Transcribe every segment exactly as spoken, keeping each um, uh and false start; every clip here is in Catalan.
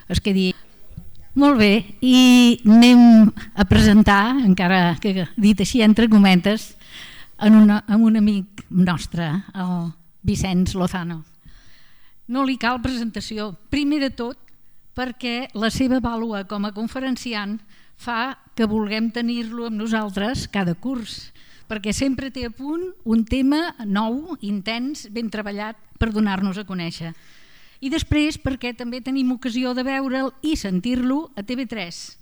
es quedi. Molt bé, i anem a presentar, encara que dit així entre cometes, en una, en un amic nostre, el Vicenç Lozano. No li cal presentació, primer de tot perquè la seva vàlua com a conferenciant fa que vulguem tenir-lo amb nosaltres cada curs, perquè sempre té a punt un tema nou, intens, ben treballat per donar-nos a conèixer. I després perquè també tenim ocasió de veure'l i sentir-lo a T V tres,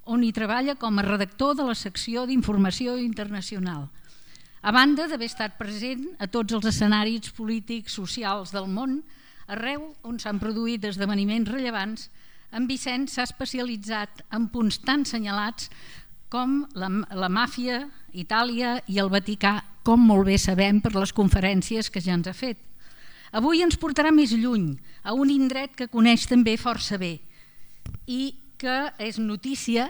on hi treballa com a redactor de la secció d'informació internacional. A banda d'haver estat present a tots els escenaris polítics, socials del món, arreu on s'han produït esdeveniments rellevants, en Vicenç s'ha especialitzat en punts tan senyalats com la, la màfia, Itàlia i el Vaticà, com molt bé sabem per les conferències que ja ens ha fet. Avui ens portarà més lluny, a un indret que coneix també força bé i que és notícia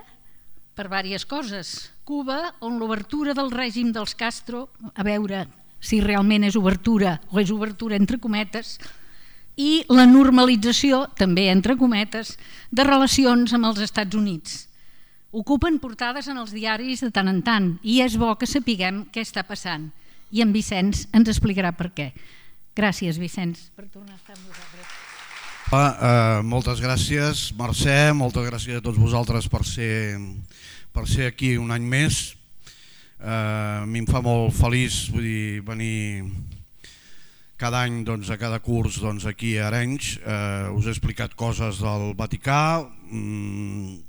per diverses coses. Cuba, on l'obertura del règim dels Castro, a veure si realment és obertura o és obertura entre cometes, i la normalització, també entre cometes, de relacions amb els Estats Units. Ocupen portades en els diaris de tant en tant i és bo que sapiguem què està passant. I en Vicenç ens explicarà per què. Gràcies, Vicenç, per tornar a estar amb vosaltres. Ah, eh, moltes gràcies, Mercè, moltes gràcies a tots vosaltres per ser, per ser aquí un any més. Eh, a mi em fa molt feliç, vull dir, venir cada any doncs, a cada curs doncs, aquí a Arenys. Eh, us he explicat coses del Vaticà. Mm,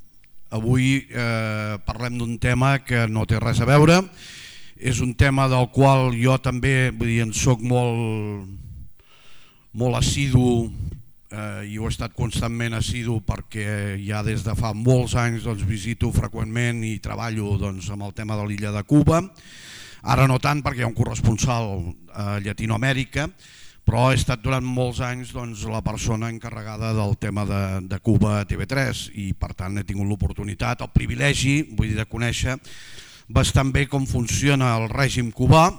avui eh, parlem d'un tema que no té res a veure. És un tema del qual jo també vull dir, en soc molt, molt assidu eh, i ho he estat constantment assidu perquè ja des de fa molts anys doncs, visito freqüentment i treballo doncs, amb el tema de l'illa de Cuba. Ara no tant perquè hi ha un corresponsal a Llatinoamèrica, però he estat durant molts anys doncs, la persona encarregada del tema de, de Cuba a T V tres i per tant he tingut l'oportunitat, el privilegi vull dir, de conèixer bastant bé com funciona el règim cubà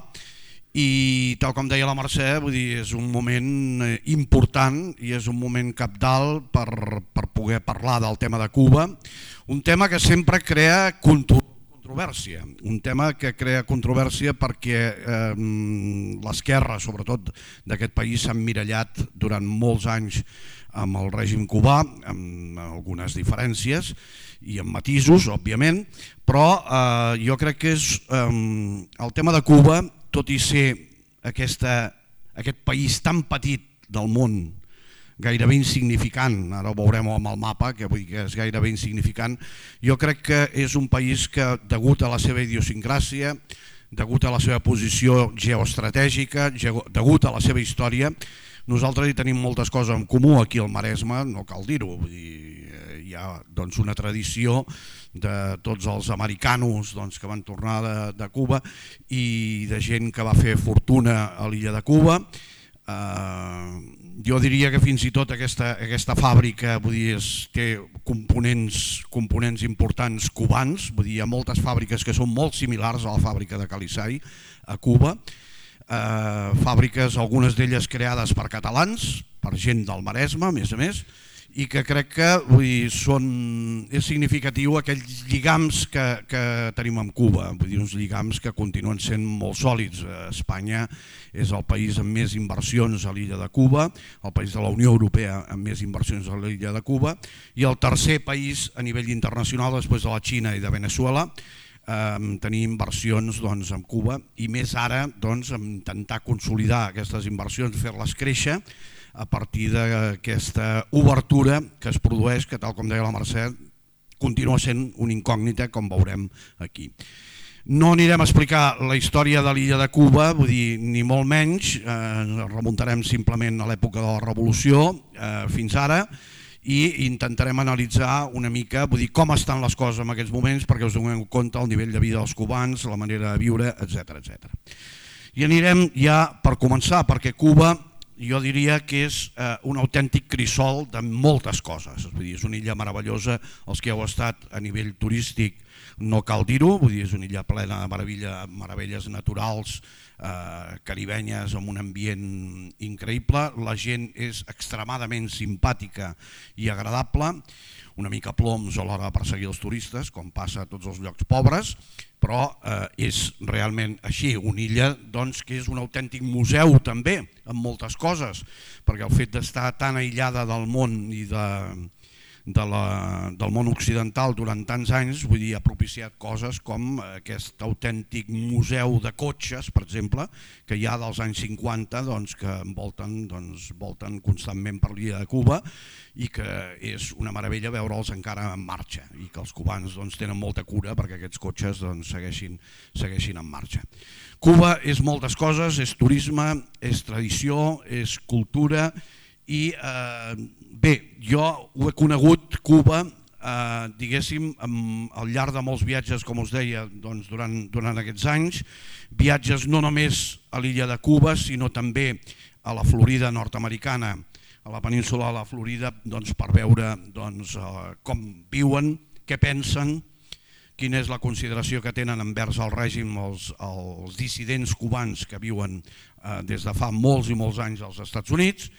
i tal com deia la Mercè, vull dir, és un moment important i és un moment cabdal per, per poder parlar del tema de Cuba, un tema que sempre crea controvèrsia, un tema que crea controvèrsia perquè eh, l'esquerra, sobretot d'aquest país, s'ha emmirallat durant molts anys amb el règim cubà, amb algunes diferències i amb matisos, òbviament, però eh, jo crec que és eh, el tema de Cuba, tot i ser aquesta, aquest país tan petit del món, gairebé insignificant, ara ho veurem amb el mapa, que vull dir que és gairebé insignificant, jo crec que és un país que, degut a la seva idiosincràsia, degut a la seva posició geoestratègica, degut a la seva història, nosaltres hi tenim moltes coses en comú aquí al Maresme, no cal dir-ho, vull dir, hi ha doncs, una tradició de tots els americanos doncs, que van tornar de, de Cuba i de gent que va fer fortuna a l'illa de Cuba. Eh, jo diria que fins i tot aquesta, aquesta fàbrica vull dir, és, té components, components importants cubans, vull dir, hi ha moltes fàbriques que són molt similars a la fàbrica de Calisari a Cuba. Eh, fàbriques, algunes d'elles creades per catalans, per gent del Maresme, a més a més, i que crec que vull dir, són, és significatiu aquells lligams que, que tenim amb Cuba, vull dir, uns lligams que continuen sent molt sòlids. Espanya és el país amb més inversions a l'illa de Cuba, el país de la Unió Europea amb més inversions a l'illa de Cuba, i el tercer país a nivell internacional després de la Xina i de Veneçuela, eh, tenir inversions doncs, amb Cuba i més ara doncs, intentar consolidar aquestes inversions, fer-les créixer a partir d'aquesta obertura que es produeix, que tal com deia la Mercè, continua sent una incògnita, com veurem aquí. No anirem a explicar la història de l'illa de Cuba, vull dir, ni molt menys, eh, remuntarem simplement a l'època de la Revolució eh, fins ara, i intentarem analitzar una mica vull dir, com estan les coses en aquests moments perquè us donem compte el nivell de vida dels cubans, la manera de viure, etcètera etcètera. I anirem ja per començar, perquè Cuba jo diria que és eh, un autèntic crisol de moltes coses. Vull dir, és una illa meravellosa, els que heu estat a nivell turístic no cal dir-ho, vull dir, és una illa plena de meravella, meravelles naturals eh, caribenyes amb un ambient increïble, la gent és extremadament simpàtica i agradable, una mica ploms a l'hora de perseguir els turistes, com passa a tots els llocs pobres, però eh, és realment així, una illa doncs, que és un autèntic museu també, amb moltes coses, perquè el fet d'estar tan aïllada del món i de, de la, del món occidental durant tants anys, vull dir, ha propiciat coses com aquest autèntic museu de cotxes, per exemple, que hi ha dels anys cinquanta, doncs, que envolten, doncs, volten constantment per l'illa de Cuba, i que és una meravella veure'ls encara en marxa i que els cubans doncs, tenen molta cura perquè aquests cotxes doncs, segueixin, segueixin en marxa. Cuba és moltes coses, és turisme, és tradició, és cultura i eh, bé, jo ho he conegut Cuba eh, diguéssim amb, al llarg de molts viatges, com us deia, doncs, durant, durant aquests anys, viatges no només a l'illa de Cuba sinó també a la Florida nord-americana, a la península de la Florida, doncs, per veure doncs, eh, com viuen, què pensen, quina és la consideració que tenen envers el règim els, els dissidents cubans que viuen eh, des de fa molts i molts anys als Estats Units.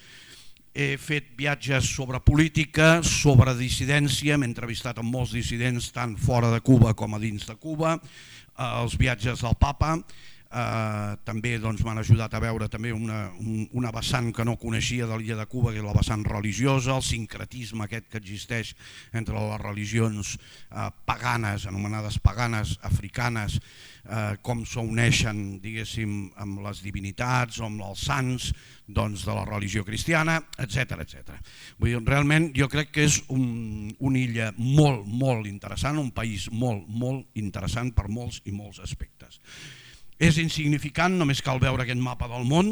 He fet viatges sobre política, sobre dissidència, m'he entrevistat amb molts dissidents tant fora de Cuba com a dins de Cuba, eh, els viatges del Papa. Uh, també doncs, m'han ajudat a veure també una, un, una vessant que no coneixia de l'illa de Cuba, que és la vessant religiosa, el sincretisme aquest que existeix entre les religions uh, paganes, anomenades paganes, africanes, uh, com s'uneixen, diguéssim, amb les divinitats o amb els sants doncs, de la religió cristiana, etcètera etcètera. Vull dir, realment jo crec que és un, una illa molt, molt interessant, un país molt, molt interessant per molts i molts aspectes. És insignificant, només cal veure aquest mapa del món,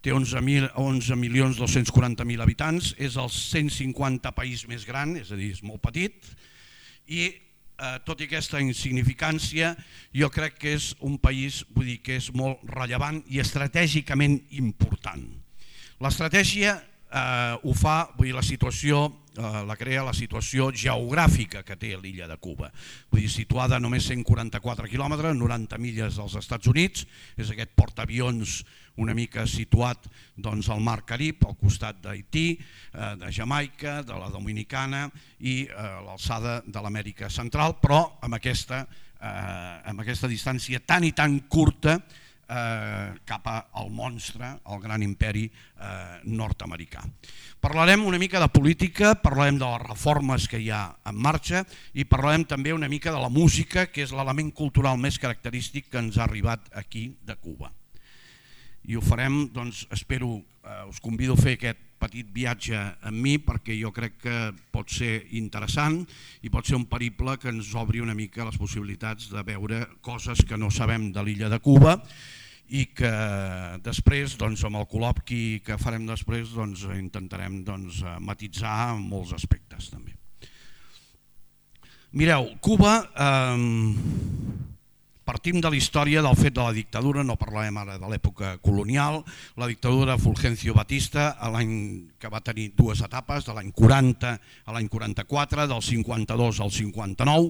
té onze milions dos-cents quaranta mil habitants, és el cent cinquanta país més gran, és a dir, és molt petit, i eh, tot i aquesta insignificància jo crec que és un país, vull dir, que és molt rellevant i estratègicament important. L'estratègia eh, ho fa, vull dir, la situació, eh, la crea la situació geogràfica que té l'illa de Cuba. Vull dir, situada a només cent quaranta-quatre quilòmetres, noranta milles dels Estats Units, és aquest portaavions una mica situat doncs, al Mar Carib, al costat d'Haití, eh, de Jamaica, de la Dominicana i eh, a l'alçada de l'Amèrica Central, però amb aquesta, eh, amb aquesta distància tan i tan curta Eh, cap al monstre, al gran imperi eh, nord-americà. Parlarem una mica de política, parlarem de les reformes que hi ha en marxa i parlarem també una mica de la música, que és l'element cultural més característic que ens ha arribat aquí de Cuba. I ho farem, doncs, espero, eh, us convido a fer aquest petit viatge amb mi perquè jo crec que pot ser interessant i pot ser un periple que ens obri una mica les possibilitats de veure coses que no sabem de l'illa de Cuba i que després, doncs, amb el col·loqui que farem després, doncs, intentarem doncs, matitzar en molts aspectes també. Mireu, Cuba, eh, partim de la història del fet de la dictadura, no parlarem ara de l'època colonial, la dictadura de Fulgencio Batista, l'any que va tenir dues etapes, de l'any quaranta a l'any quaranta-quatre, del cinquanta-dos al cinquanta-nou,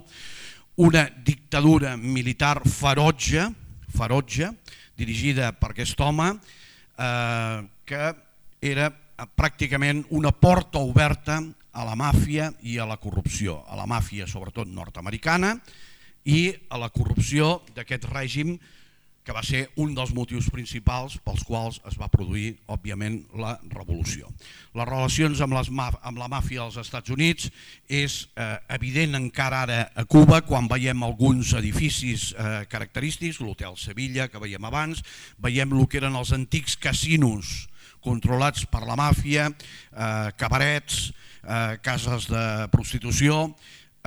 una dictadura militar ferotge, ferotge, dirigida per aquest home, eh, que era pràcticament una porta oberta a la màfia i a la corrupció, a la màfia sobretot nord-americana i a la corrupció d'aquest règim que va ser un dels motius principals pels quals es va produir, òbviament, la revolució. Les relacions amb, les, amb la màfia dels Estats Units és eh, evident encara ara a Cuba quan veiem alguns edificis eh, característics, l'Hotel Sevilla que veiem abans, veiem el que eren els antics casinos controlats per la màfia, eh, cabarets, eh, cases de prostitució,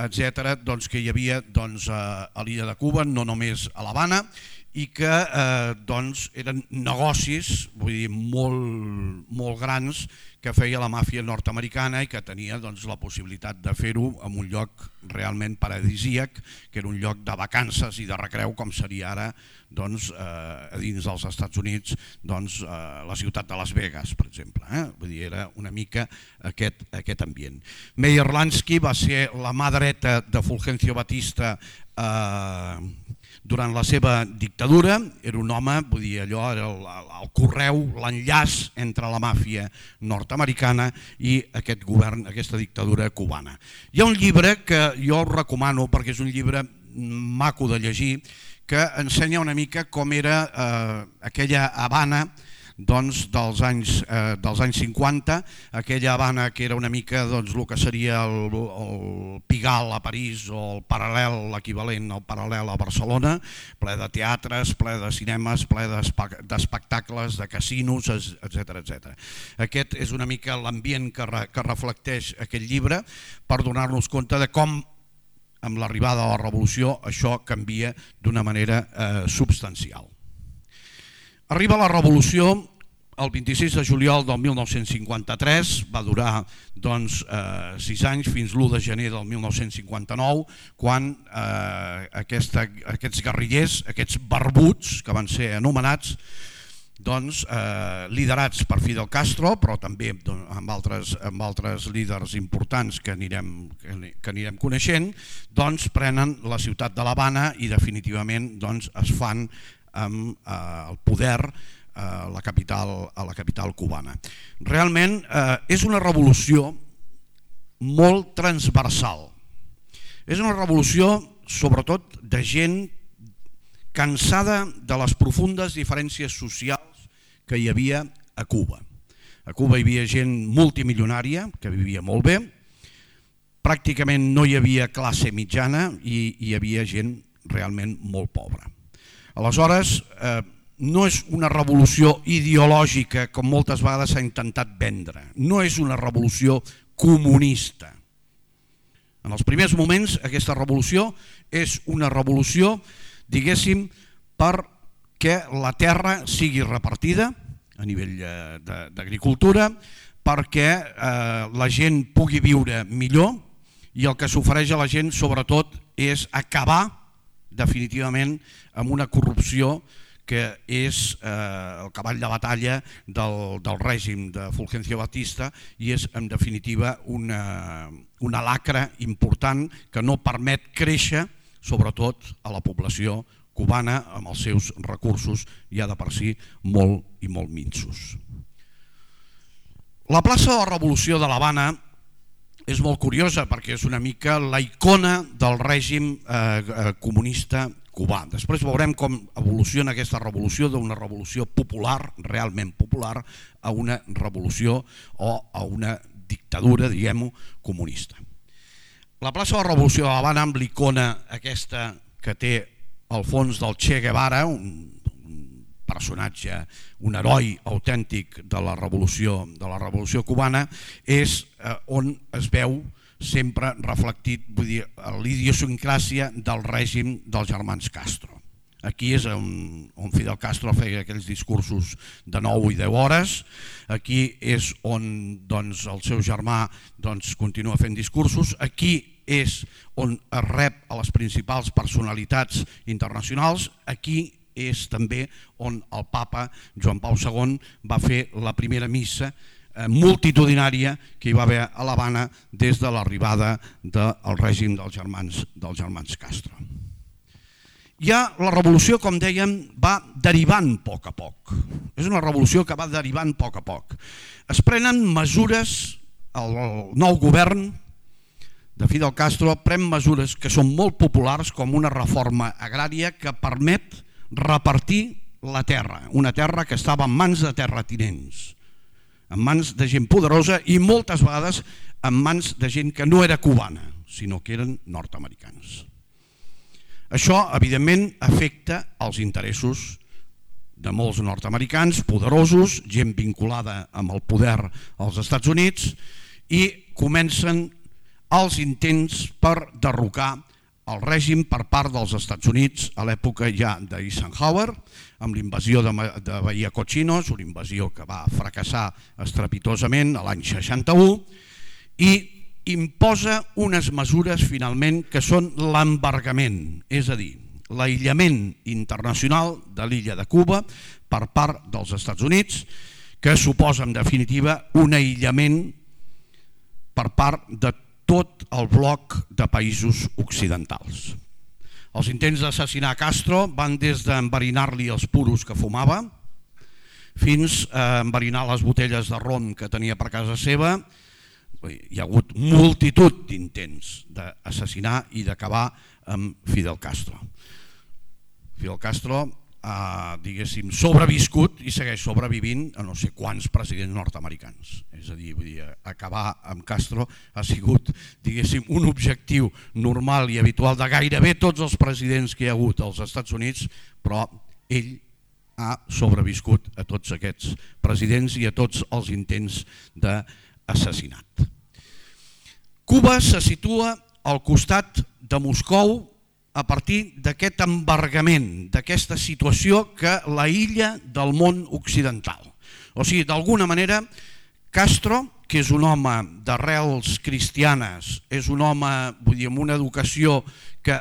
etcètera, doncs, que hi havia doncs, a l'illa de Cuba, no només a l'Havana, i que eh, doncs, eren negocis vull dir, molt, molt grans que feia la màfia nord-americana i que tenia doncs, la possibilitat de fer-ho en un lloc realment paradisíac, que era un lloc de vacances i de recreu, com seria ara doncs, eh, a dins dels Estats Units doncs, eh, la ciutat de Las Vegas, per exemple. Eh? Vull dir, era una mica aquest, aquest ambient. Meyer Lansky va ser la mà dreta de Fulgencio Batista eh, durant la seva dictadura. Era un home, vull dir, allò era el, el correu, l'enllaç entre la màfia nord-americana i aquest govern, aquesta dictadura cubana. Hi ha un llibre que jo recomano perquè és un llibre maco de llegir, que ensenya una mica com era eh, aquella Habana doncs, dels, anys, eh, dels anys cinquanta, aquella Habana que era una mica doncs, el que seria el, el Pigalle a París o el paral·lel, l'equivalent al paral·lel a Barcelona, ple de teatres, ple de cinemes, ple d'espectacles, de casinos, etcètera etcètera. Aquest és una mica l'ambient que, re, que reflecteix aquest llibre per donar-nos compte de com amb l'arribada de la revolució això canvia d'una manera eh, substancial. Arriba la revolució el vint-i-sis de juliol del mil nou-cents cinquanta-tres, va durar doncs, eh, sis anys fins l'u de gener del mil nou-cents cinquanta-nou, quan eh, aquesta, aquests guerrillers, aquests barbuts que van ser anomenats, doncs, eh, liderats per Fidel Castro, però també doncs, amb, altres, amb altres líders importants que anirem, que anirem coneixent, doncs, prenen la ciutat de l'Havana i definitivament doncs, es fan amb eh, el poder a la capital, a la capital cubana. Realment eh, és una revolució molt transversal. És una revolució sobretot de gent cansada de les profundes diferències socials que hi havia a Cuba. A Cuba hi havia gent multimilionària que vivia molt bé, pràcticament no hi havia classe mitjana i hi havia gent realment molt pobra. Aleshores, eh, no és una revolució ideològica com moltes vegades s'ha intentat vendre, no és una revolució comunista. En els primers moments aquesta revolució és una revolució, diguéssim, perquè la terra sigui repartida a nivell d'agricultura, perquè eh, la gent pugui viure millor i el que s'ofereix a la gent sobretot és acabar definitivament amb una corrupció que és eh, el cavall de batalla del, del règim de Fulgencio Batista i és en definitiva una, una lacra important que no permet créixer sobretot a la població cubana amb els seus recursos ja de per si molt i molt minsos. La plaça de la Revolució de l'Havana és molt curiosa perquè és una mica la icona del règim eh, comunista cubà. Després veurem com evoluciona aquesta revolució d'una revolució popular, realment popular, a una revolució o a una dictadura, diguem-ho, comunista. La plaça de la Revolució de l'Havana amb l'icona aquesta que té al fons del Che Guevara, un, un personatge, un heroi autèntic de la revolució, de la revolució cubana, és eh, on es veu sempre reflectit, vull dir, l'idiosincràsia del règim dels germans Castro. Aquí és on, on Fidel Castro feia aquells discursos de nou i deu hores, aquí és on doncs, el seu germà doncs, continua fent discursos, aquí és on es rep a les principals personalitats internacionals, aquí és també on el papa Joan Pau segon va fer la primera missa multitudinària que hi va haver a l'Havana des de l'arribada del règim dels germans, dels germans Castro. Ja la revolució, com dèiem, va derivant a poc a poc. És una revolució que va derivant a poc a poc. Es prenen mesures, el nou govern de Fidel Castro pren mesures que són molt populars com una reforma agrària que permet repartir la terra, una terra que estava en mans de terratinents, en mans de gent poderosa i moltes vegades en mans de gent que no era cubana, sinó que eren nord-americans. Això, evidentment, afecta els interessos de molts nord-americans poderosos, gent vinculada amb el poder als Estats Units, i comencen els intents per derrocar el règim per part dels Estats Units a l'època ja d'Eisenhower, amb l'invasió de, de Bahia Cochinos, una invasió que va fracassar estrepitosament a l'any seixanta-u, i imposa unes mesures finalment que són l'embargament, és a dir, l'aïllament internacional de l'illa de Cuba per part dels Estats Units, que suposa en definitiva un aïllament per part de tot el bloc de països occidentals. Els intents d'assassinar Castro van des d'enverinar-li els puros que fumava fins a enverinar les botelles de rom que tenia per casa seva. Hi ha hagut multitud d'intents d'assassinar i d'acabar amb Fidel Castro. Fidel Castro ha, diguéssim, sobreviscut i segueix sobrevivint a no sé quants presidents nord-americans. És a dir, vull dir, acabar amb Castro ha sigut, diguéssim, un objectiu normal i habitual de gairebé tots els presidents que hi ha hagut als Estats Units, però ell ha sobreviscut a tots aquests presidents i a tots els intents d'assassinat. Cuba se situa al costat de Moscou a partir d'aquest embargament, d'aquesta situació que l'aïlla del món occidental. O sigui, d'alguna manera, Castro, que és un home d'arrels cristianes, és un home, vull dir, amb una educació que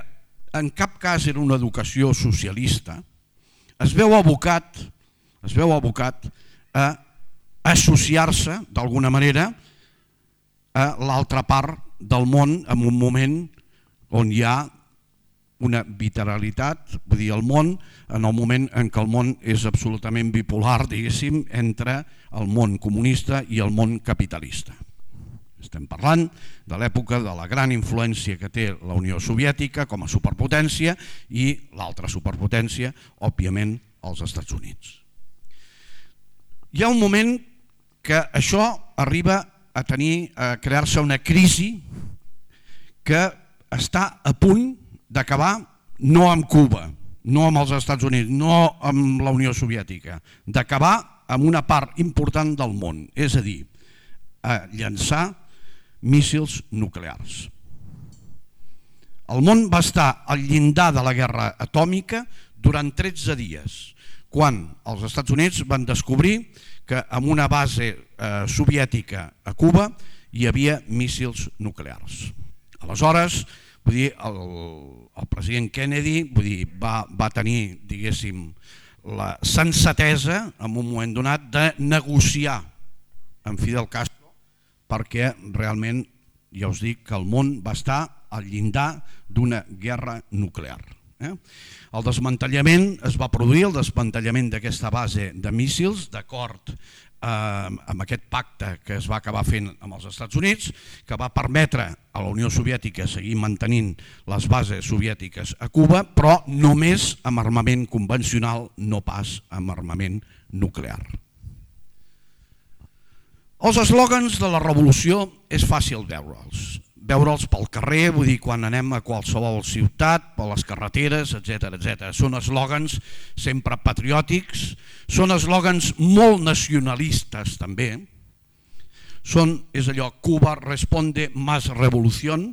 en cap cas era una educació socialista, es veu abocat, es veu abocat a associar-se, d'alguna manera, a l'altra part del món en un moment on hi ha una bilateralitat, vull dir, el món, en el moment en què el món és absolutament bipolar, diguéssim, entre el món comunista i el món capitalista. Estem parlant de l'època de la gran influència que té la Unió Soviètica com a superpotència i l'altra superpotència, òbviament, els Estats Units. Hi ha un moment que això arriba a tenir, a crear-se una crisi que està a punt d'acabar no amb Cuba, no amb els Estats Units, no amb la Unió Soviètica, d'acabar amb una part important del món, és a dir, a llançar míssils nuclears. El món va estar al llindar de la guerra atòmica durant tretze dies, quan els Estats Units van descobrir que en una base eh, soviètica a Cuba hi havia míssils nuclears. Aleshores, vull dir, el, el president Kennedy vull dir, va, va tenir, diguéssim, la sensatesa en un moment donat de negociar amb Fidel Castro perquè realment, ja us dic, que el món va estar al llindar d'una guerra nuclear. Eh? El desmantellament es va produir, el desmantellament d'aquesta base de míssils, d'acord amb aquest pacte que es va acabar fent amb els Estats Units, que va permetre a la Unió Soviètica seguir mantenint les bases soviètiques a Cuba, però només amb armament convencional, no pas amb armament nuclear. Els eslògans de la revolució és fàcil veure'ls. Veure'ls pel carrer, vull dir, quan anem a qualsevol ciutat, per les carreteres, etcètera, etcètera. Són eslògans sempre patriòtics, són eslògans molt nacionalistes també. Són, és allò, Cuba responde más revolución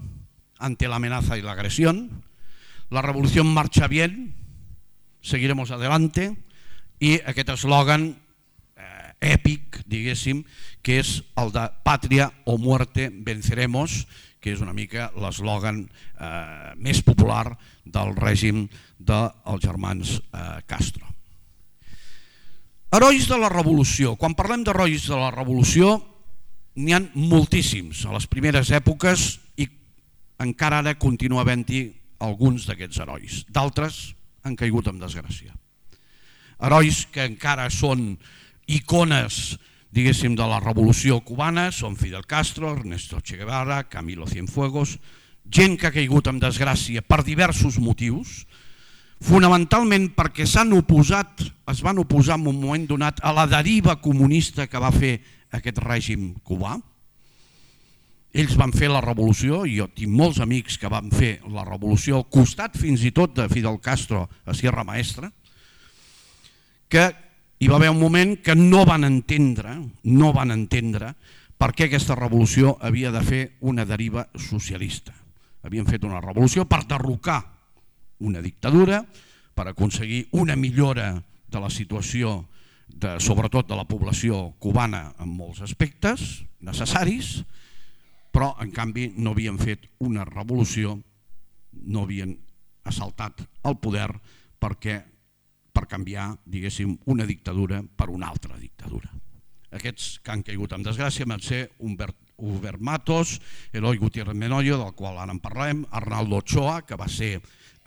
ante la amenaza y la agresión. La revolución marcha bien, seguiremos adelante. I aquest eslògan eh, èpic, diguéssim, que és el de Patria o muerte venceremos, que és una mica l'eslògan eh, més popular del règim dels germans eh, Castro. Herois de la revolució. Quan parlem d'herois de la revolució, n'hi ha moltíssims a les primeres èpoques i encara ara continua havent-hi alguns d'aquests herois. D'altres han caigut en desgràcia. Herois que encara són icones, diguéssim, de la revolució cubana, són Fidel Castro, Ernesto Che Guevara, Camilo Cienfuegos, gent que ha caigut en desgràcia per diversos motius, fonamentalment perquè s'han oposat, es van oposar en un moment donat a la deriva comunista que va fer aquest règim cubà. Ells van fer la revolució, i jo tinc molts amics que van fer la revolució al costat fins i tot de Fidel Castro a Sierra Maestra, que hi va haver un moment que no van entendre, no van entendre per què aquesta revolució havia de fer una deriva socialista. havien fet una revolució per derrocar una dictadura, per aconseguir una millora de la situació, de, sobretot de la població cubana en molts aspectes necessaris, però en canvi no havien fet una revolució, no havien assaltat el poder perquè, per canviar, diguéssim, una dictadura per una altra dictadura. Aquests que han caigut en desgràcia van ser Humbert, Hubert Matos, Eloi Gutiérrez Menoyo, del qual ara en parlem, Arnaldo Ochoa, que va ser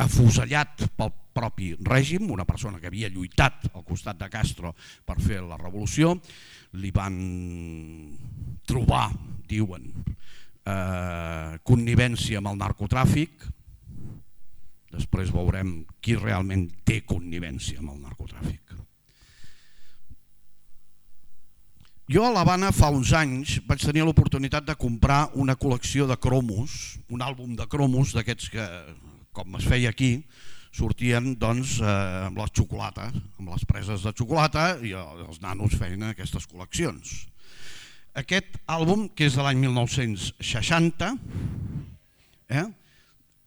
afusellat pel propi règim, una persona que havia lluitat al costat de Castro per fer la revolució, li van trobar, diuen, eh, connivència amb el narcotràfic. Després veurem qui realment té connivència amb el narcotràfic. Jo a l'Havana fa uns anys vaig tenir l'oportunitat de comprar una col·lecció de cromos, un àlbum de cromos d'aquests que, com es feia aquí, sortien doncs, eh, amb les xocolates, amb les preses de xocolata, i els nanos feien aquestes col·leccions. Aquest àlbum, que és de l'any mil nou-cents seixanta, eh,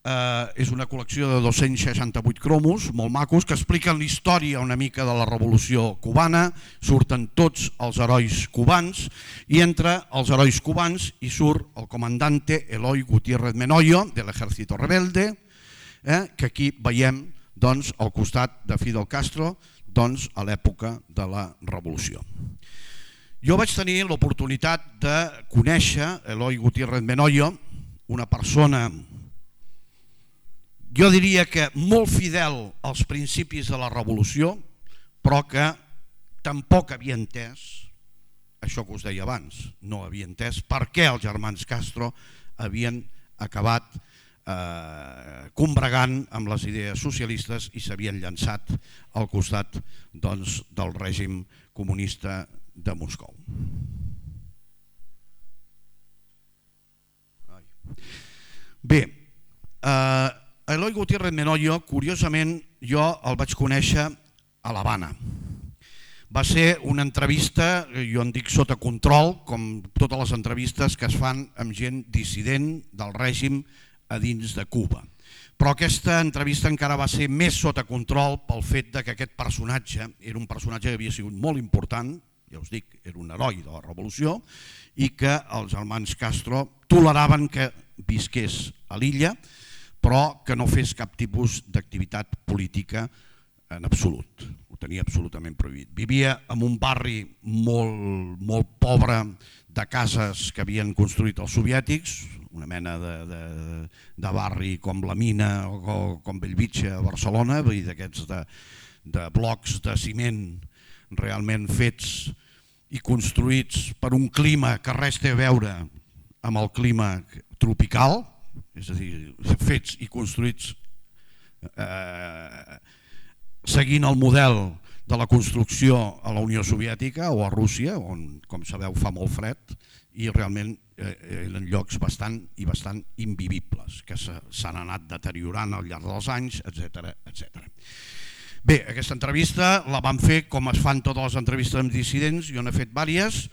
eh, és una col·lecció de dos-cents seixanta-vuit cromos, molt macos, que expliquen la història una mica de la revolució cubana, surten tots els herois cubans, i entre els herois cubans hi surt el comandante Eloi Gutiérrez Menoyo, de l'Ejército Rebelde, eh, que aquí veiem doncs, al costat de Fidel Castro doncs, a l'època de la revolució. Jo vaig tenir l'oportunitat de conèixer Eloi Gutiérrez Menoyo, una persona, jo diria que molt fidel als principis de la revolució, però que tampoc havia entès, això que us deia abans, no havia entès per què els germans Castro havien acabat eh, combregant amb les idees socialistes i s'havien llançat al costat doncs, del règim comunista de Moscou. Bé, eh, Eloi Gutiérrez Menoyo, curiosament, jo el vaig conèixer a l'Havana. Va ser una entrevista, jo en dic sota control, com totes les entrevistes que es fan amb gent dissident del règim a dins de Cuba. Però aquesta entrevista encara va ser més sota control pel fet que aquest personatge era un personatge que havia sigut molt important, ja us dic, era un heroi de la revolució, i que els germans Castro toleraven que visqués a l'illa, però que no fes cap tipus d'activitat política en absolut. Ho tenia absolutament prohibit. Vivia en un barri molt, molt pobre de cases que havien construït els soviètics, una mena de, de, de barri com la Mina o com Bellvitge a Barcelona, vull dir, d'aquests de, de blocs de ciment realment fets i construïts per un clima que res té a veure amb el clima tropical, és a dir, fets i construïts eh, seguint el model de la construcció a la Unió Soviètica o a Rússia, on, com sabeu, fa molt fred, i realment eh, eren llocs bastant i bastant invivibles, que s'han anat deteriorant al llarg dels anys, etcètera, etcètera. Bé, aquesta entrevista la vam fer com es fan totes les entrevistes amb dissidents, jo n'he fet diverses.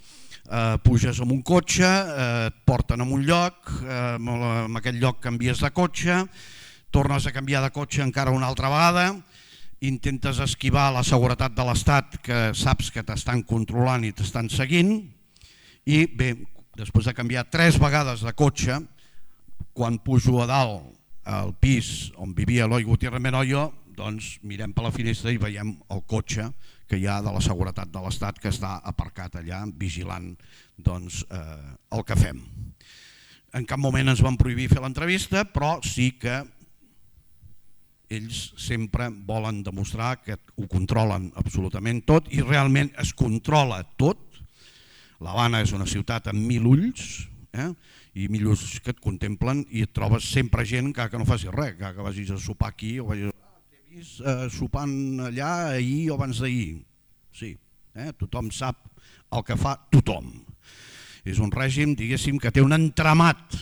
Eh, puges en un cotxe, eh, et porten a un lloc, eh, en aquell lloc canvies de cotxe, tornes a canviar de cotxe encara una altra vegada, intentes esquivar la seguretat de l'Estat que saps que t'estan controlant i t'estan seguint, i bé, després de canviar tres vegades de cotxe, quan pujo a dalt al pis on vivia Eloi Gutiérrez Menoyo, doncs mirem per la finestra i veiem el cotxe que hi ha de la seguretat de l'Estat que està aparcat allà vigilant doncs, eh, el que fem. En cap moment ens van prohibir fer l'entrevista, però sí que ells sempre volen demostrar que ho controlen absolutament tot i realment es controla tot. L'Havana és una ciutat amb mil ulls, eh? i mil ulls que et contemplen i et trobes sempre gent que, que no faci res, que, que vagis a sopar aquí o vagis Eh, sopant allà ahir o abans d'ahir. Sí, eh? Tothom sap el que fa tothom. És un règim, diguéssim, que té un entramat,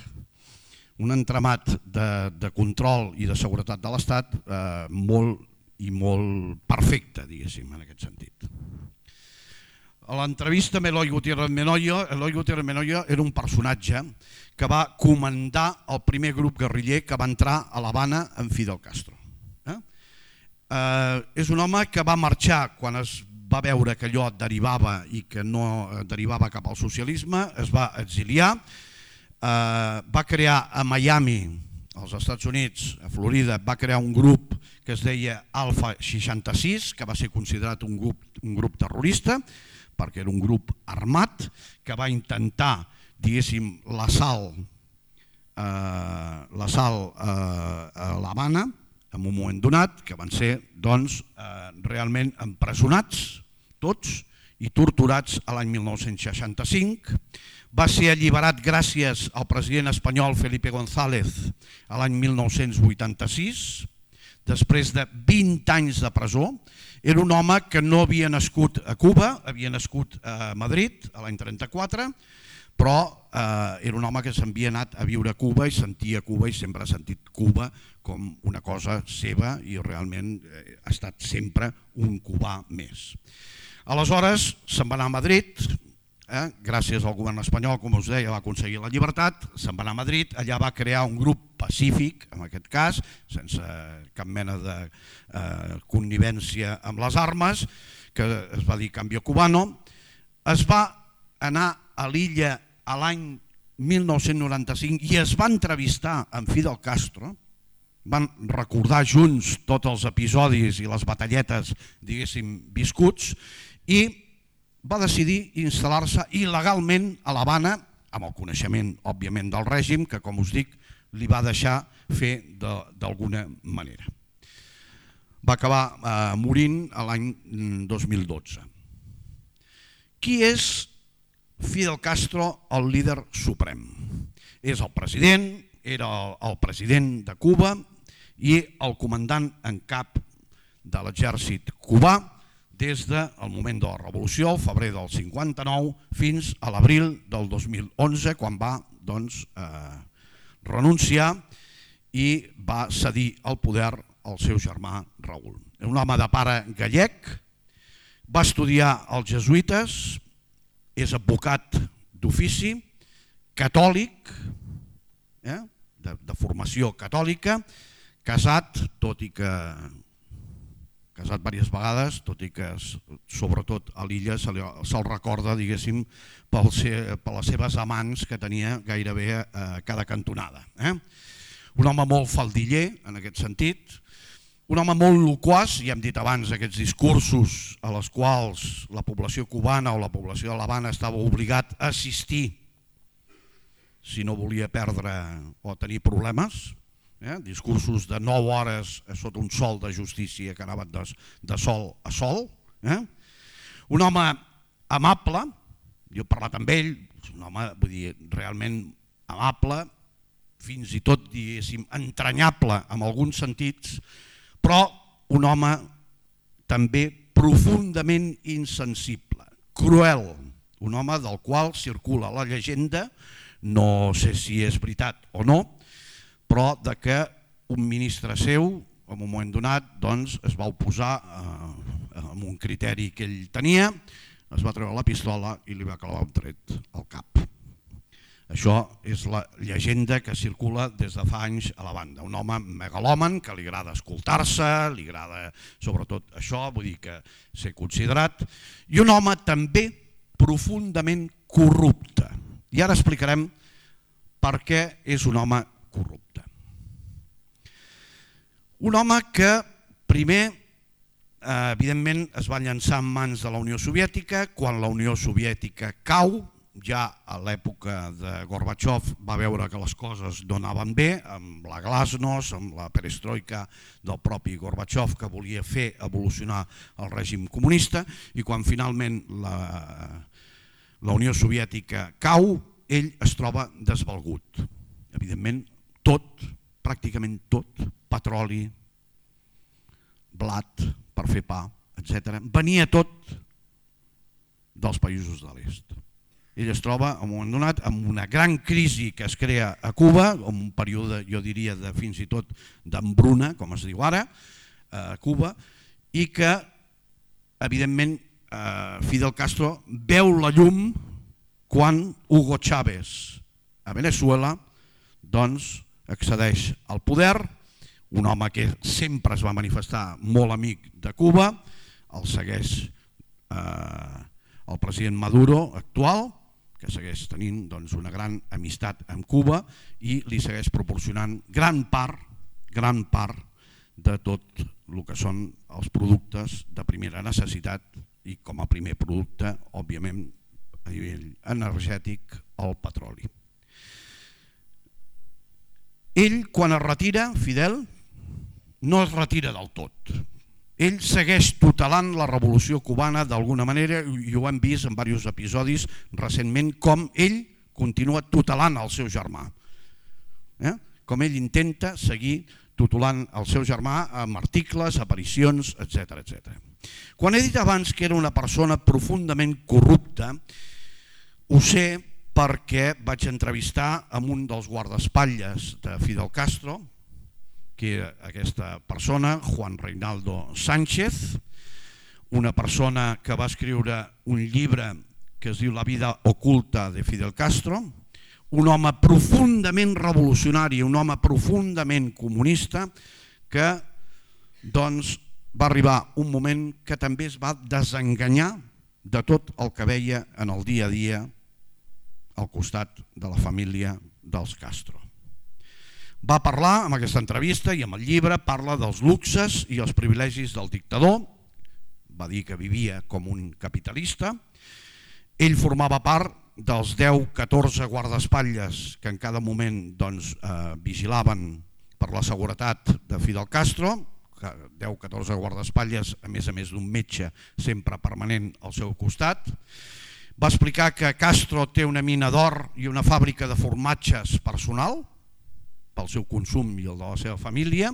un entramat de, de control i de seguretat de l'Estat eh, molt i molt perfecte, diguéssim, en aquest sentit. A l'entrevista amb Eloi Gutiérrez Menoyo, Eloi Gutiérrez Menoyo era un personatge que va comandar el primer grup guerriller que va entrar a l'Havana amb Fidel Castro. Eh? Eh, és un home que va marxar quan es va veure que allò derivava i que no derivava cap al socialisme, es va exiliar, eh, va crear a Miami, als Estats Units, a Florida, va crear un grup que es deia Alfa seixanta-sis, que va ser considerat un grup, un grup terrorista, perquè era un grup armat que va intentar, diguéssim, l'assalt eh, l'assalt eh, a l'Havana, en un moment donat, que van ser doncs, eh, realment empresonats tots i torturats a l'any mil nou-cents seixanta-cinc. Va ser alliberat gràcies al president espanyol Felipe González a l'any mil nou-cents vuitanta-sis, després de vint anys de presó. Era un home que no havia nascut a Cuba, havia nascut a Madrid a l'any trenta-quatre, però eh, era un home que s'havia anat a viure a Cuba i sentia Cuba i sempre ha sentit Cuba com una cosa seva i realment eh, ha estat sempre un cubà més. Aleshores se'n va anar a Madrid, eh, gràcies al govern espanyol, com us deia, va aconseguir la llibertat, se'n va anar a Madrid, allà va crear un grup pacífic, en aquest cas, sense cap mena de eh, connivència amb les armes, que es va dir Cambio Cubano. Es va anar a l'illa a l'any mil nou-cents noranta-cinc i es va entrevistar amb Fidel Castro, van recordar junts tots els episodis i les batalletes, diguéssim, viscuts, i va decidir instal·lar-se il·legalment a l'Havana, amb el coneixement, òbviament, del règim, que, com us dic, li va deixar fer d'alguna manera. Va acabar eh, morint l'any dos mil dotze. Qui és Fidel Castro, el líder suprem? És el president, era el president de Cuba i el comandant en cap de l'exèrcit cubà des del moment de la revolució, el febrer del cinquanta-nou, fins a l'abril del dos mil onze, quan va doncs, eh, renunciar i va cedir el poder al seu germà Raúl. Era un home de pare gallec, va estudiar als jesuïtes, és advocat d'ofici, catòlic, eh, de, de formació catòlica, casat, tot i que casat diverses vegades, tot i que sobretot a l'illa se'l se recorda, diguéssim, pel ser, per les seves amants que tenia gairebé a cada cantonada. Eh? Un home molt faldiller en aquest sentit, un home molt loquaç, ja hem dit abans aquests discursos a les quals la població cubana o la població de l'Havana estava obligat a assistir si no volia perdre o tenir problemes, eh? Discursos de nou hores sota un sol de justícia que anaven de, de sol a sol. Eh? Un home amable, jo he parlat amb ell, un home vull dir, realment amable, fins i tot diguéssim entranyable en alguns sentits, però un home també profundament insensible, cruel, un home del qual circula la llegenda, no sé si és veritat o no, però de que un ministre seu, en un moment donat, doncs, es va oposar eh, amb un criteri que ell tenia, es va treure la pistola i li va clavar un tret al cap. Això és la llegenda que circula des de fa anys a la banda. Un home megalòman que li agrada escoltar-se, li agrada sobretot això, vull dir que ser considerat, i un home també profundament corrupte. I ara explicarem per què és un home corrupte. Un home que primer, eh, evidentment, es va llançar en mans de la Unió Soviètica. Quan la Unió Soviètica cau, ja a l'època de Gorbachev va veure que les coses no anaven bé, amb la glasnost, amb la perestroika del propi Gorbachev, que volia fer evolucionar el règim comunista, i quan finalment la, la Unió Soviètica cau, ell es troba desvalgut. Evidentment, tot, pràcticament tot, petroli, blat per fer pa, etcètera, venia tot dels països de l'est. Ell es troba, en un moment donat, amb una gran crisi que es crea a Cuba, en un període, jo diria, de fins i tot d'embruna, com es diu ara, a Cuba, i que, evidentment, Fidel Castro veu la llum quan Hugo Chávez a Veneçuela, doncs accedeix al poder, un home que sempre es va manifestar molt amic de Cuba, el segueix eh, el president Maduro actual, que segueix tenint doncs, una gran amistat amb Cuba i li segueix proporcionant gran part, gran part de tot el que són els productes de primera necessitat i com a primer producte, òbviament, a nivell energètic, el petroli. Ell, quan es retira, Fidel, no es retira del tot. Ell segueix tutelant la revolució cubana d'alguna manera i ho hem vist en diversos episodis recentment com ell continua tutelant el seu germà. Eh? Com ell intenta seguir tutelant el seu germà amb articles, aparicions, etcètera etcètera. Quan he dit abans que era una persona profundament corrupta, ho sé perquè vaig entrevistar amb un dels guardaespatlles de Fidel Castro, que era aquesta persona, Juan Reinaldo Sánchez, una persona que va escriure un llibre que es diu La vida oculta de Fidel Castro, un home profundament revolucionari, un home profundament comunista, que doncs, va arribar un moment que també es va desenganyar de tot el que veia en el dia a dia al costat de la família dels Castro. Va parlar en aquesta entrevista i amb el llibre, parla dels luxes i els privilegis del dictador, va dir que vivia com un capitalista, ell formava part dels deu catorze guardaespatlles que en cada moment doncs, eh, vigilaven per la seguretat de Fidel Castro, deu catorze guardaespatlles, a més a més d'un metge sempre permanent al seu costat. Va explicar que Castro té una mina d'or i una fàbrica de formatges personal, pel seu consum i el de la seva família,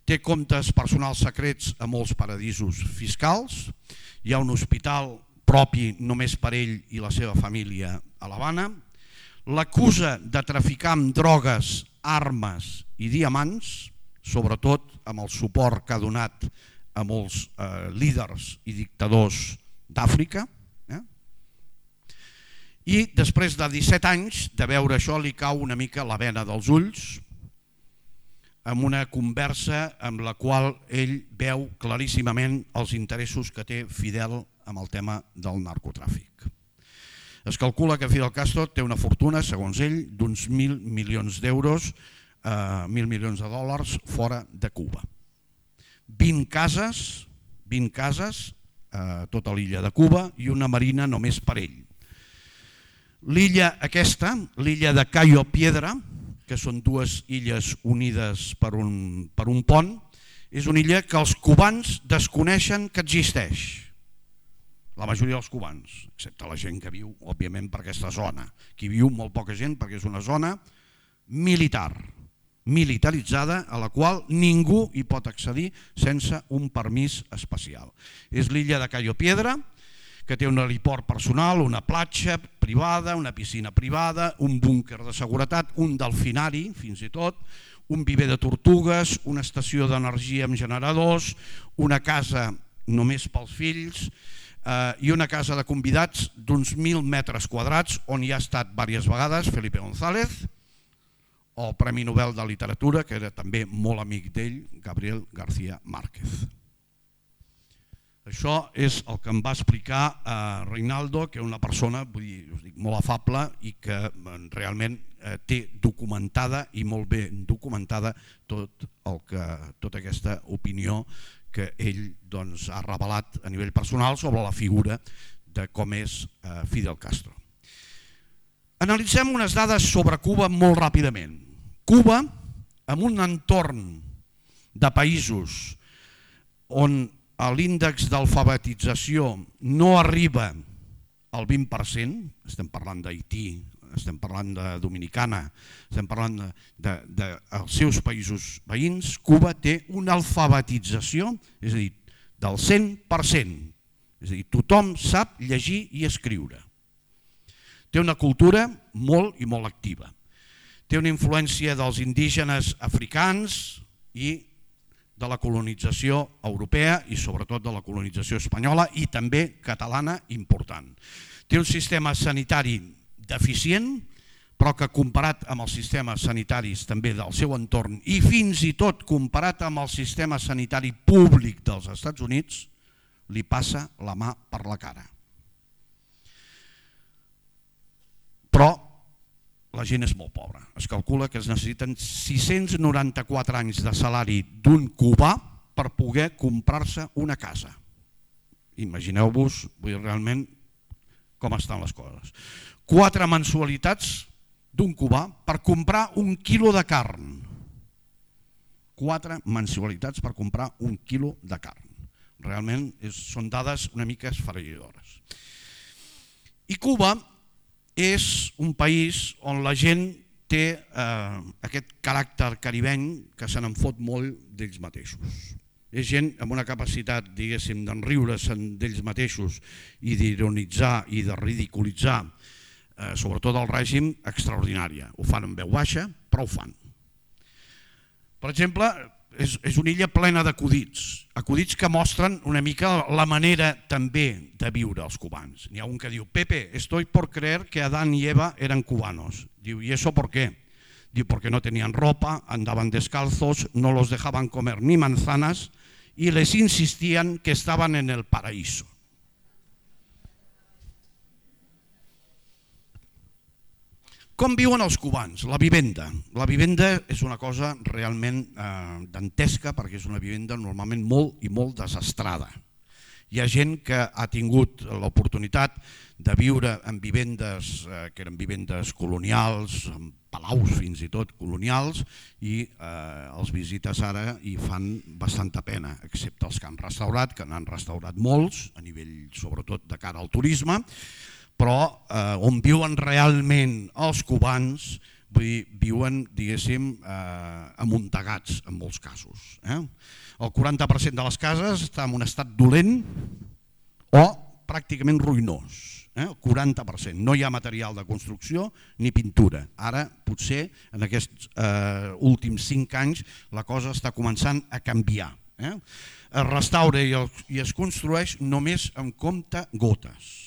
té comptes personals secrets a molts paradisos fiscals, hi ha un hospital propi només per ell i la seva família a l'Havana, l'acusa de traficar amb drogues, armes i diamants, sobretot amb el suport que ha donat a molts eh, líders i dictadors d'Àfrica. Eh? I després de disset anys de veure això li cau una mica la bena dels ulls amb una conversa amb la qual ell veu claríssimament els interessos que té Fidel amb el tema del narcotràfic. Es calcula que Fidel Castro té una fortuna, segons ell, d'uns mil milions d'euros, eh, mil milions de dòlars fora de Cuba. vint cases, vint cases a tota l'illa de Cuba i una marina només per ell. L'illa aquesta, l'illa de Cayo Piedra, que són dues illes unides per un, per un pont, és una illa que els cubans desconeixen que existeix. La majoria dels cubans, excepte la gent que viu, òbviament, per aquesta zona. Qui viu molt poca gent perquè és una zona militar, militaritzada, a la qual ningú hi pot accedir sense un permís especial. És l'illa de Cayo Piedra, que té un heliport personal, una platja privada, una piscina privada, un búnquer de seguretat, un delfinari, fins i tot, un viver de tortugues, una estació d'energia amb generadors, una casa només pels fills eh, i una casa de convidats d'uns mil metres quadrats on hi ha estat diverses vegades Felipe González, el Premi Nobel de Literatura, que era també molt amic d'ell, Gabriel García Márquez. Això és el que em va explicar eh, Reinaldo, que és una persona vull dir, us dic, molt afable i que eh, realment eh, té documentada i molt bé documentada tot el que, tota aquesta opinió que ell doncs, ha revelat a nivell personal sobre la figura de com és eh, Fidel Castro. Analitzem unes dades sobre Cuba molt ràpidament. Cuba, en un entorn de països on l'índex d'alfabetització no arriba al vint per cent, estem parlant d'Haití, estem parlant de Dominicana, estem parlant dels de, de, de seus països veïns, Cuba té una alfabetització, és a dir, del cent per cent, és a dir, tothom sap llegir i escriure. Té una cultura molt i molt activa. Té una influència dels indígenes africans i de la colonització europea i sobretot de la colonització espanyola i també catalana important. Té un sistema sanitari deficient però que comparat amb els sistemes sanitaris també del seu entorn i fins i tot comparat amb el sistema sanitari públic dels Estats Units, li passa la mà per la cara. Però la gent és molt pobra. Es calcula que es necessiten sis-cents noranta-quatre anys de salari d'un cubà per poder comprar-se una casa. Imagineu-vos realment com estan les coses. Quatre mensualitats d'un cubà per comprar un quilo de carn. Quatre mensualitats per comprar un quilo de carn. Realment és, són dades una mica esfereïdores. I Cuba és un país on la gent té eh, aquest caràcter caribeny que se n'en fot molt d'ells mateixos. És gent amb una capacitat, diguéssim, d'enriure-se'n d'ells mateixos i d'ironitzar i de ridiculitzar, eh, sobretot el règim, extraordinària. Ho fan en veu baixa, però ho fan. Per exemple, és, és una illa plena d'acudits, acudits que mostren una mica la manera també de viure els cubans. N'hi ha un que diu, Pepe, estoy por creer que Adán y Eva eran cubanos. Diu, ¿y eso por qué? Diu, porque no tenían ropa, andaban descalzos, no los dejaban comer ni manzanas y les insistían que estaban en el paraíso. Com viuen els cubans? La vivenda. La vivenda és una cosa realment eh, dantesca perquè és una vivenda normalment molt i molt desastrada. Hi ha gent que ha tingut l'oportunitat de viure en vivendes eh, que eren vivendes colonials, en palaus fins i tot colonials, i eh, els visites ara i fan bastanta pena, excepte els que han restaurat, que n'han restaurat molts, a nivell sobretot de cara al turisme, però eh, on viuen realment els cubans, vull dir, viuen, diguéssim, eh, amuntegats en molts casos. Eh? El quaranta per cent de les cases està en un estat dolent o pràcticament ruïnós. Eh? El quaranta per cent. No hi ha material de construcció ni pintura. Ara, potser, en aquests eh, últims cinc anys, la cosa està començant a canviar. Eh? Es restaura i, el, i es construeix només amb compte gotes.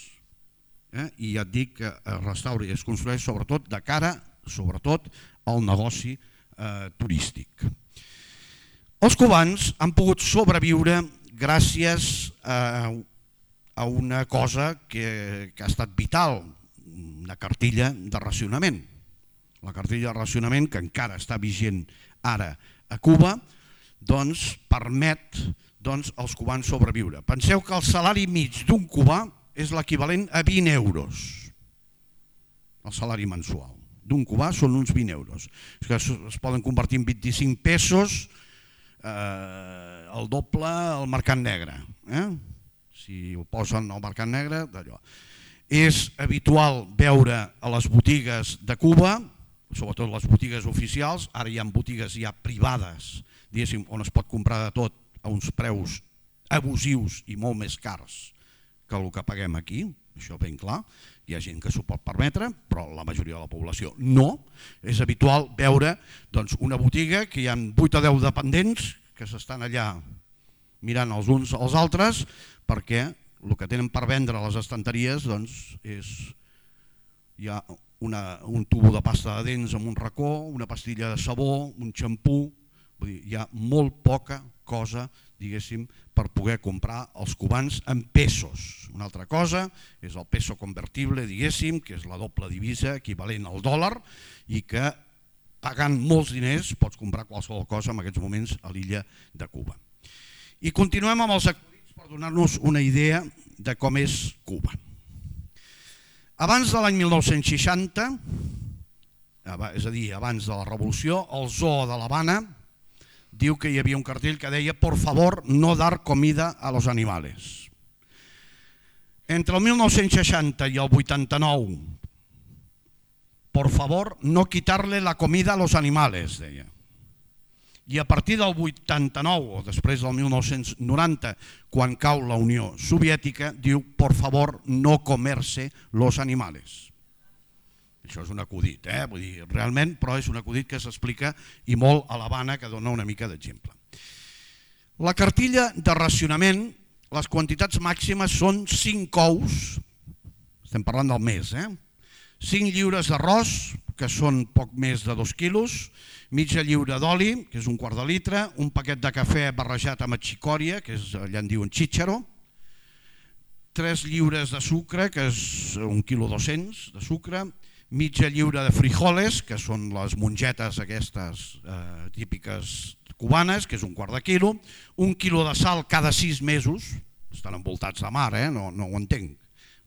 Eh? I ja et dic que es restaura i es construeix sobretot de cara sobretot al negoci eh, turístic. Els cubans han pogut sobreviure gràcies a, a una cosa que, que ha estat vital, una cartilla de racionament. La cartilla de racionament, que encara està vigent ara a Cuba, doncs permet doncs, als cubans sobreviure. Penseu que el salari mig d'un cubà és l'equivalent a vint euros, el salari mensual. D'un cubà són uns vint euros, que es poden convertir en vint-i-cinc pesos, eh, el doble al mercat negre. Eh? Si ho posen al mercat negre, d'allò. És habitual veure a les botigues de Cuba, sobretot les botigues oficials, ara hi ha botigues ja privades, diguéssim, on es pot comprar de tot a uns preus abusius i molt més cars que el que paguem aquí, això ben clar. Hi ha gent que s'ho pot permetre, però la majoria de la població no. És habitual veure doncs, una botiga que hi ha vuit o deu dependents que s'estan allà mirant els uns als altres perquè el que tenen per vendre a les estanteries doncs, és hi ha una, un tubo de pasta de dents amb un racó, una pastilla de sabó, un xampú, vull dir, hi ha molt poca cosa, diguéssim, per poder comprar els cubans en pesos. Una altra cosa és el peso convertible, diguéssim, que és la doble divisa equivalent al dòlar i que pagant molts diners pots comprar qualsevol cosa en aquests moments a l'illa de Cuba. I continuem amb els acudits per donar-nos una idea de com és Cuba. Abans de l'any mil nou-cents seixanta, és a dir, abans de la revolució, el zoo de l'Havana diu que hi havia un cartell que deia por favor no dar comida a los animales. Entre el mil nou-cents seixanta i el vuitanta-nou, por favor no quitarle la comida a los animales, deia. I a partir del vuitanta-nou, o després del mil nou-cents noranta, quan cau la Unió Soviètica, diu por favor no comerse los animales. Això és un acudit, eh? Vull dir, realment, però és un acudit que s'explica i molt a l'Havana, que dona una mica d'exemple. La cartilla de racionament, les quantitats màximes són cinc ous, estem parlant del mes, eh? cinc lliures d'arròs, que són poc més de dos quilos, mitja lliura d'oli, que és un quart de litre, un paquet de cafè barrejat amb xicòria, que és, allà en diuen xícharo, tres lliures de sucre, que és un quilo dos-cents de sucre, mitja lliura de frijoles, que són les mongetes aquestes eh, típiques cubanes, que és un quart de quilo, un quilo de sal cada sis mesos, estan envoltats de mar, eh? no, no ho entenc,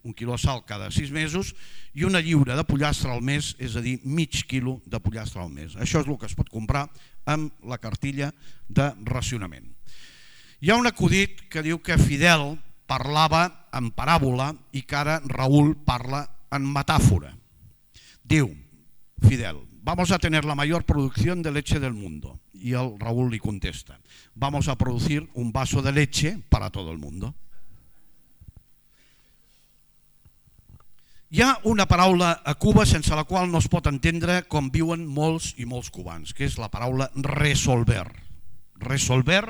un quilo de sal cada sis mesos i una lliura de pollastre al mes, és a dir, mig quilo de pollastre al mes. Això és el que es pot comprar amb la cartilla de racionament. Hi ha un acudit que diu que Fidel parlava en paràbola i que ara Raúl parla en metàfora. Diu Fidel, vamos a tener la mayor producción de leche del mundo. Y el Raúl li contesta, vamos a producir un vaso de leche para todo el mundo. Hi ha una paraula a Cuba sense la qual no es pot entendre com viuen molts i molts cubans, que és la paraula resolver. Resolver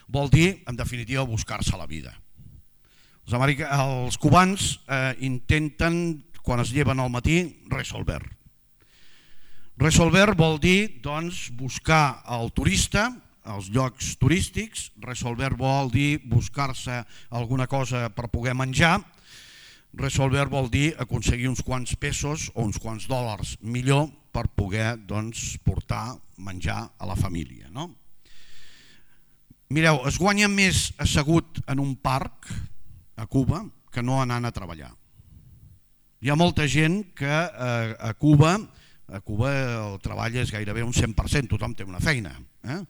vol dir, en definitiva, buscar-se la vida. Els, americans, els cubans eh, intenten, quan es lleven al matí, resolver. Resolver vol dir doncs, buscar el turista, els llocs turístics, resolver vol dir buscar-se alguna cosa per poder menjar, resolver vol dir aconseguir uns quants pesos o uns quants dòlars millor per poder doncs, portar menjar a la família. No? Mireu, es guanya més assegut en un parc a Cuba que no anant a treballar. Hi ha molta gent que eh, a Cuba, a Cuba el treball és gairebé un cent per cent, tothom té una feina, eh?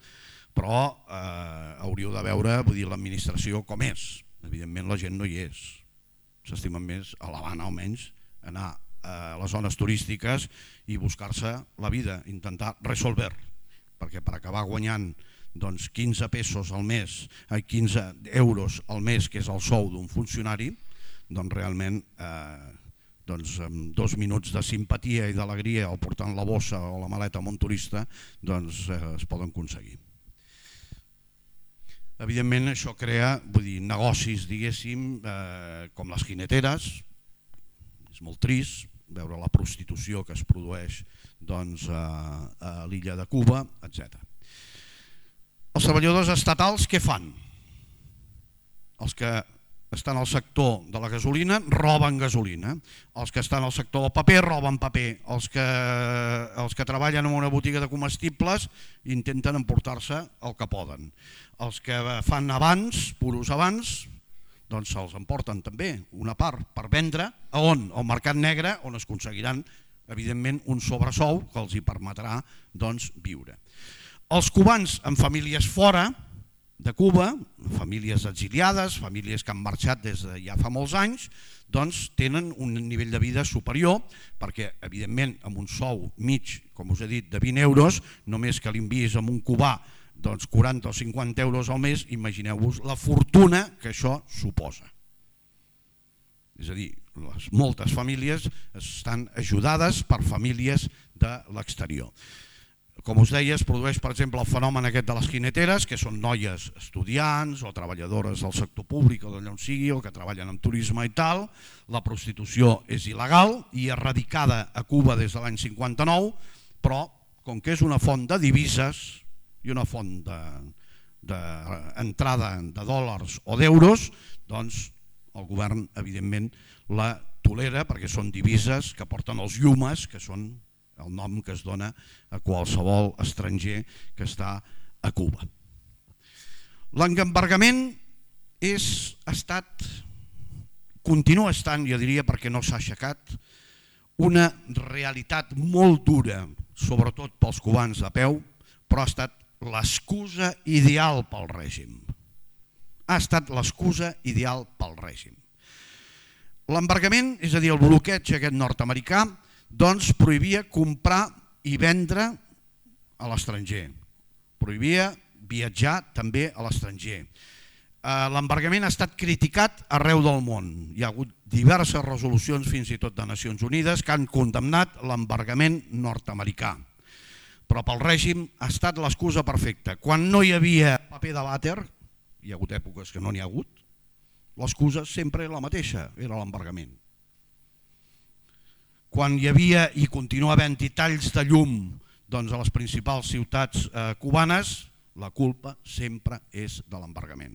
però eh, hauríeu de veure vull dir, l'administració com és. Evidentment la gent no hi és. S'estimen més a l'Havana almenys anar a les zones turístiques i buscar-se la vida, intentar resolver, perquè per acabar guanyant doncs, quinze pesos al mes, quinze euros al mes, que és el sou d'un funcionari, doncs realment eh, doncs, amb dos minuts de simpatia i d'alegria al portant la bossa o la maleta amb un turista doncs, eh, es poden aconseguir. Evidentment això crea vull dir, negocis diguéssim eh, com les jineteres, és molt trist veure la prostitució que es produeix doncs, a, a l'illa de Cuba, etcètera. Els treballadors estatals què fan? Els que estan al sector de la gasolina roben gasolina, els que estan al sector del paper roben paper, els que, els que treballen en una botiga de comestibles intenten emportar-se el que poden, els que fan abans, puros abans, doncs se'ls emporten també una part per vendre, a on? Al mercat negre, on es aconseguiran evidentment un sobresou que els hi permetrà doncs, viure. Els cubans amb famílies fora de Cuba, famílies exiliades, famílies que han marxat des de ja fa molts anys, doncs tenen un nivell de vida superior perquè, evidentment, amb un sou mig, com us he dit, de vint euros, només que l'enviïs amb un cubà doncs quaranta o cinquanta euros al mes, imagineu-vos la fortuna que això suposa. És a dir, les, moltes famílies estan ajudades per famílies de l'exterior. Com us deia, es produeix, per exemple, el fenomen aquest de les jineteres, que són noies estudiants o treballadores del sector públic o d'allà on sigui, o que treballen en turisme i tal. La prostitució és il·legal i erradicada a Cuba des de l'any cinquanta-nou, però com que és una font de divises i una font d'entrada de, de dòlars o d'euros, doncs el govern, evidentment, la tolera perquè són divises que porten els llumes, que són el nom que es dona a qualsevol estranger que està a Cuba. L'embargament és, ha estat, continua estant, jo diria perquè no s'ha aixecat, una realitat molt dura, sobretot pels cubans de peu, però ha estat l'excusa ideal pel règim. Ha estat l'excusa ideal pel règim. L'embargament, és a dir, el bloqueig aquest nord-americà, doncs prohibia comprar i vendre a l'estranger, prohibia viatjar també a l'estranger. L'embargament ha estat criticat arreu del món. Hi ha hagut diverses resolucions, fins i tot de Nacions Unides, que han condemnat l'embargament nord-americà. Però pel règim ha estat l'excusa perfecta. Quan no hi havia paper de vàter, hi ha hagut èpoques que no n'hi ha hagut, l'excusa sempre era la mateixa, era l'embargament. quan hi havia i continua havent-hi talls de llum doncs, a les principals ciutats eh, cubanes, la culpa sempre és de l'embargament.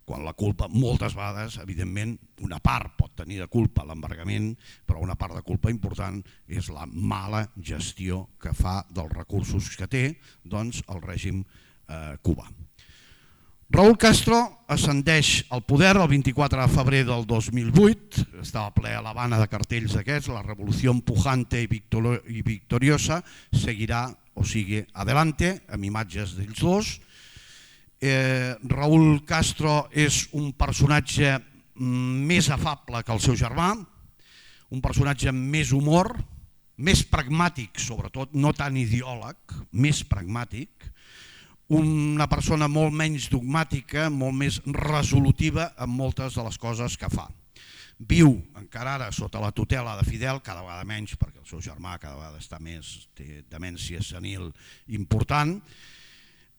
Quan la culpa, moltes vegades, evidentment, una part pot tenir de culpa l'embargament, però una part de culpa important és la mala gestió que fa dels recursos que té doncs, el règim eh, cubà. Raúl Castro ascendeix al poder el vint-i-quatre de febrer del dos mil vuit, estava ple a l'Havana de cartells d'aquests, la revolució pujante i victoriosa seguirà o sigue adelante, amb imatges d'ells dos. Eh, Raúl Castro és un personatge més afable que el seu germà, un personatge amb més humor, més pragmàtic sobretot, no tan ideòleg, més pragmàtic, una persona molt menys dogmàtica, molt més resolutiva en moltes de les coses que fa. Viu encara ara sota la tutela de Fidel, cada vegada menys perquè el seu germà cada vegada està més, té demència senil important,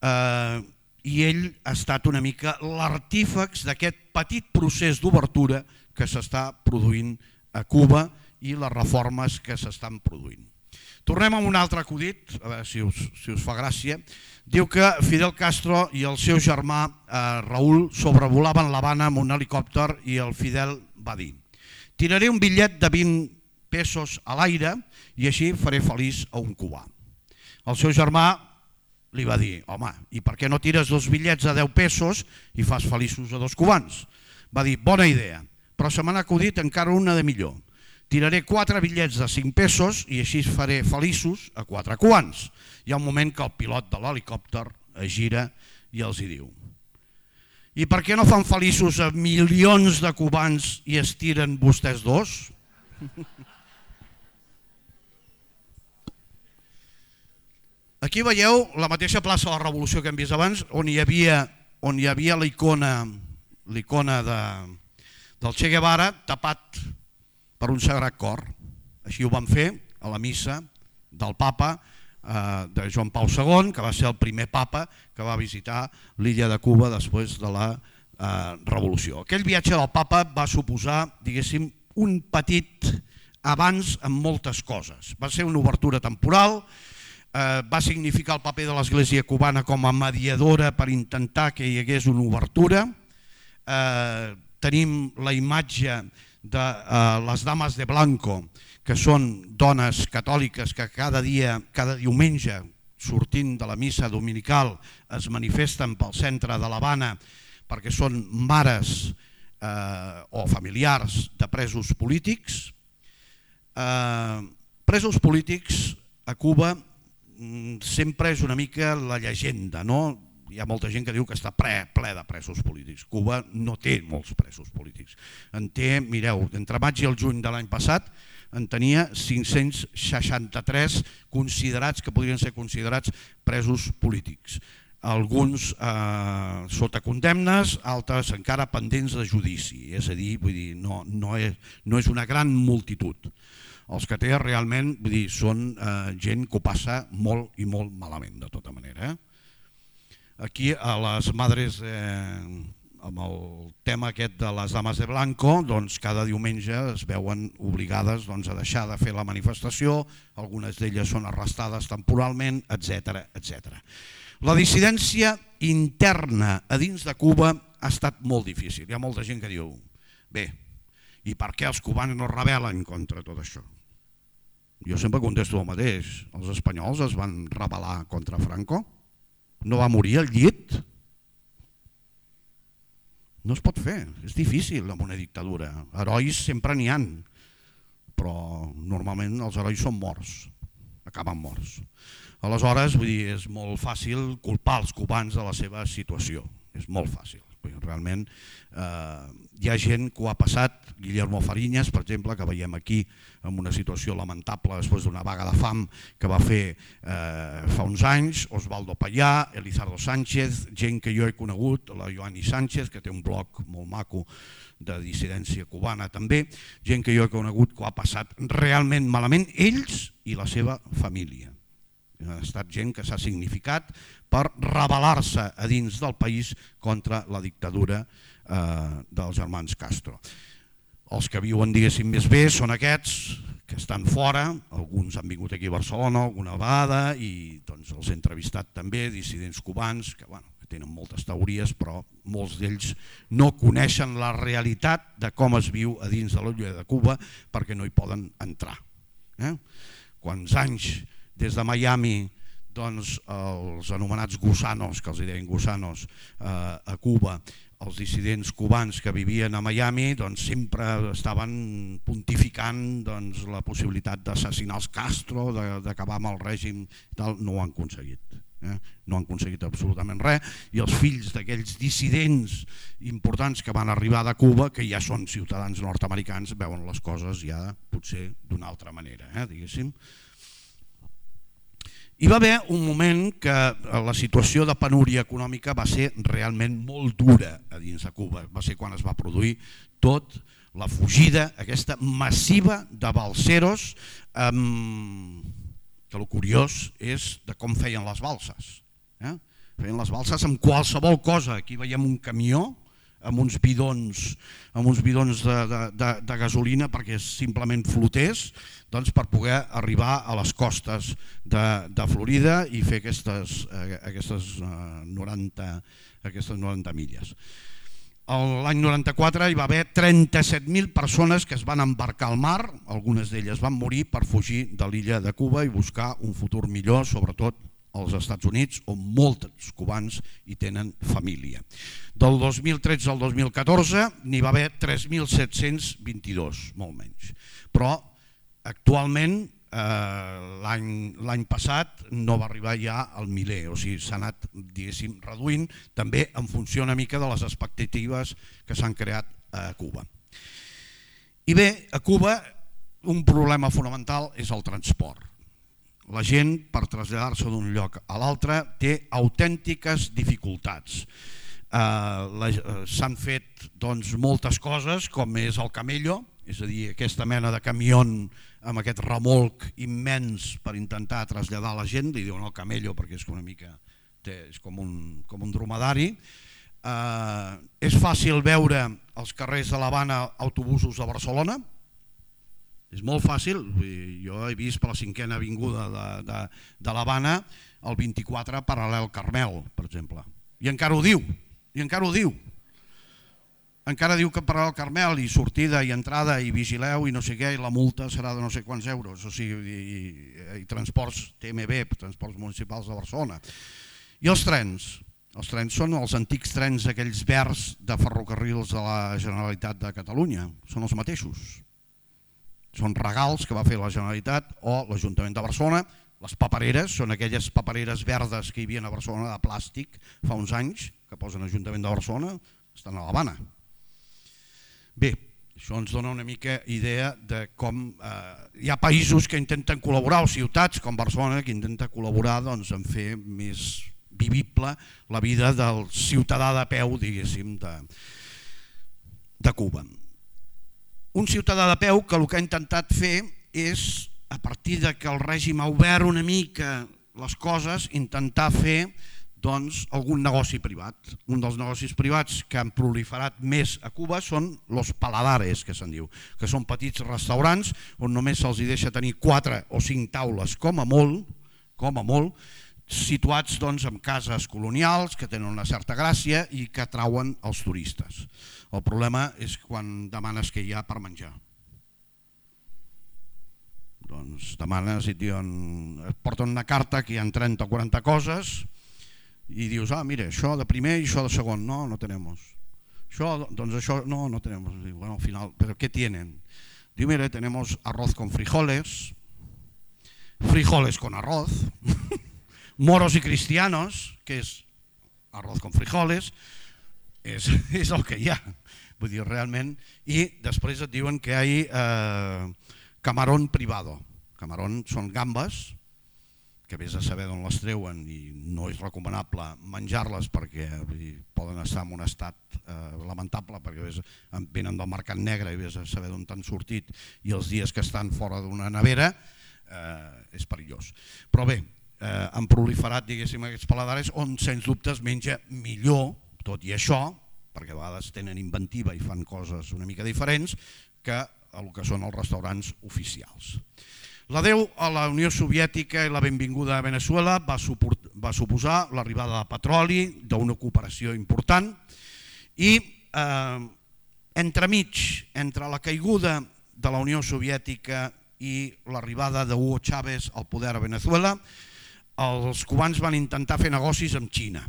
eh, i ell ha estat una mica l'artífex d'aquest petit procés d'obertura que s'està produint a Cuba i les reformes que s'estan produint. Tornem amb un altre acudit, a veure si us, si us fa gràcia. Diu que Fidel Castro i el seu germà eh, Raúl sobrevolaven l'Havana amb un helicòpter i el Fidel va dir: tiraré un bitllet de vint pesos a l'aire i així faré feliç a un cubà. El seu germà li va dir: home, i per què no tires dos bitllets a deu pesos i fas feliços a dos cubans? Va dir: bona idea, però se m'ha acudit encara una de millor. Tiraré quatre bitllets de cinc pesos i així faré feliços a quatre cubans. Hi ha un moment que el pilot de l'helicòpter es gira i els hi diu: i per què no fan feliços a milions de cubans i es tiren vostès dos? Aquí veieu la mateixa plaça de la Revolució que hem vist abans, on hi havia, on hi havia l'icona l'icona de, del Che Guevara tapat per un sagrat cor. Així ho van fer a la missa del papa eh, de Joan Pau segon, que va ser el primer papa que va visitar l'illa de Cuba després de la eh, revolució. Aquell viatge del papa va suposar, diguéssim, un petit avanç en moltes coses. Va ser una obertura temporal, eh, va significar el paper de l'Església cubana com a mediadora per intentar que hi hagués una obertura. Eh, tenim la imatge de eh, les dames de blanco, que són dones catòliques que cada dia, cada diumenge, sortint de la missa dominical, es manifesten pel centre de l'Havana perquè són mares eh, o familiars de presos polítics. Eh, presos polítics a Cuba sempre és una mica la llegenda, no? Hi ha molta gent que diu que està ple, ple de presos polítics. Cuba no té molts presos polítics. En té, mireu, entre maig i el juny de l'any passat en tenia cinc-cents seixanta-tres considerats, que podrien ser considerats presos polítics. Alguns eh, sota condemnes, altres encara pendents de judici. És a dir, vull dir no, no, és, no és una gran multitud. Els que té realment vull dir, són eh, gent que ho passa molt i molt malament, de tota manera. Eh? Aquí a les madres, eh, amb el tema aquest de les dames de blanco, doncs cada diumenge es veuen obligades doncs, a deixar de fer la manifestació, algunes d'elles són arrestades temporalment, etcètera etcètera. La dissidència interna a dins de Cuba ha estat molt difícil. Hi ha molta gent que diu, bé, i per què els cubans no rebel·len contra tot això? Jo sempre contesto el mateix, els espanyols es van rebel·lar contra Franco? No va morir al llit? No es pot fer, és difícil amb una dictadura. Herois sempre n'hi han, però normalment els herois són morts, acaben morts. Aleshores, vull dir, és molt fàcil culpar els cubans de la seva situació, és molt fàcil. Realment eh, hi ha gent que ho ha passat, Guillermo Fariñas, per exemple, que veiem aquí en una situació lamentable després d'una vaga de fam que va fer eh, fa uns anys, Osvaldo Payá, Elizardo Sánchez, gent que jo he conegut, la Joanny Sánchez, que té un blog molt maco de dissidència cubana també, gent que jo he conegut que ho ha passat realment malament, ells i la seva família. Ha estat gent que s'ha significat per rebel·lar-se a dins del país contra la dictadura eh, dels germans Castro. Els que viuen, diguéssim, més bé són aquests que estan fora, alguns han vingut aquí a Barcelona alguna vegada i doncs, els he entrevistat també, dissidents cubans, que bueno, tenen moltes teories, però molts d'ells no coneixen la realitat de com es viu a dins de l'illa de Cuba perquè no hi poden entrar. Eh? Quants anys des de Miami doncs, els anomenats gusanos, que els deien gusanos eh, a Cuba, els dissidents cubans que vivien a Miami doncs, sempre estaven pontificant doncs, la possibilitat d'assassinar els Castro, d'acabar amb el règim, tal, no ho han aconseguit. Eh? No han aconseguit absolutament res i els fills d'aquells dissidents importants que van arribar de Cuba, que ja són ciutadans nord-americans, veuen les coses ja potser d'una altra manera, eh? diguéssim. Hi va haver un moment que la situació de penúria econòmica va ser realment molt dura a dins de Cuba. Va ser quan es va produir tot la fugida, aquesta massiva de balseros, eh, que el curiós és de com feien les balses. Eh? Feien les balses amb qualsevol cosa. Aquí veiem un camió amb uns bidons, amb uns bidons de, de, de, de gasolina perquè simplement flotés, doncs per poder arribar a les costes de, de Florida i fer aquestes, eh, aquestes, eh, noranta, aquestes noranta milles. L'any noranta-quatre hi va haver trenta-set mil persones que es van embarcar al mar, algunes d'elles van morir per fugir de l'illa de Cuba i buscar un futur millor, sobretot als Estats Units, on molts cubans hi tenen família. Del dos mil tretze al dos mil catorze n'hi va haver tres mil set-cents vint-i-dos, molt menys. Però actualment eh, l'any passat no va arribar ja al miler, o sigui, s'ha anat diguéssim reduint, també en funció una mica de les expectatives que s'han creat a Cuba. I bé, a Cuba un problema fonamental és el transport. La gent, per traslladar-se d'un lloc a l'altre, té autèntiques dificultats. Eh, S'han fet doncs, moltes coses, com és el camello, és a dir, aquesta mena de camió amb aquest remolc immens per intentar traslladar la gent, li diuen el camello perquè és una mica té, és com un, com un dromedari. Eh, és fàcil veure als carrers de l'Havana autobusos de Barcelona. És molt fàcil, jo he vist per la cinquena avinguda de, de, de l'Havana el vint-i-quatre paral·lel Carmel, per exemple. I encara ho diu, i encara ho diu. Encara diu que paral·lel Carmel i sortida i entrada i vigileu i no sé què, i la multa serà de no sé quants euros, o sigui, i, i, i transports T M B, transports municipals de Barcelona. I els trens? Els trens són els antics trens aquells verds de ferrocarrils de la Generalitat de Catalunya, són els mateixos. Són regals que va fer la Generalitat o l'Ajuntament de Barcelona. Les papereres són aquelles papereres verdes que hi havia a Barcelona de plàstic fa uns anys, que posen l'Ajuntament de Barcelona, estan a l'Havana. Bé, això ens dona una mica idea de com eh, hi ha països que intenten col·laborar, o ciutats com Barcelona, que intenten col·laborar doncs, en fer més vivible la vida del ciutadà de peu, diguéssim, de, de Cuba. Un ciutadà de peu que el que ha intentat fer és, a partir de que el règim ha obert una mica les coses, intentar fer doncs, algun negoci privat. Un dels negocis privats que han proliferat més a Cuba són los paladares, que se'n diu, que són petits restaurants on només se'ls deixa tenir quatre o cinc taules com a molt, com a molt, situats doncs, en cases colonials que tenen una certa gràcia i que atrauen els turistes. El problema és quan demanes què hi ha per menjar. Doncs demanes i et diuen, et porten una carta que hi ha trenta o quaranta coses i dius, ah, mira, això de primer i això de segon, no, no tenemos. Això, doncs això, no, no tenemos. Bueno, al final, ¿pero qué tienen? Diu, mira, tenemos arroz con frijoles, frijoles con arroz, moros y cristianos, que és arroz con frijoles, és, és el que hi ha, vull dir, realment, i després et diuen que hi ha eh, camarón privado. Camarón són gambes, que vés a saber d'on les treuen i no és recomanable menjar-les perquè dir, poden estar en un estat eh, lamentable perquè vés, venen del mercat negre i vés a saber d'on t'han sortit i els dies que estan fora d'una nevera eh, és perillós. Però bé, eh, han proliferat diguéssim aquests paladares on sens dubte es menja millor, tot i això, perquè a vegades tenen inventiva i fan coses una mica diferents, que el que són els restaurants oficials. L'adeu a la Unió Soviètica i la benvinguda a Venezuela va suposar l'arribada de petroli, d'una cooperació important, i entremig, entre la caiguda de la Unió Soviètica i l'arribada d'Hugo Chávez al poder a Venezuela, els cubans van intentar fer negocis amb Xina,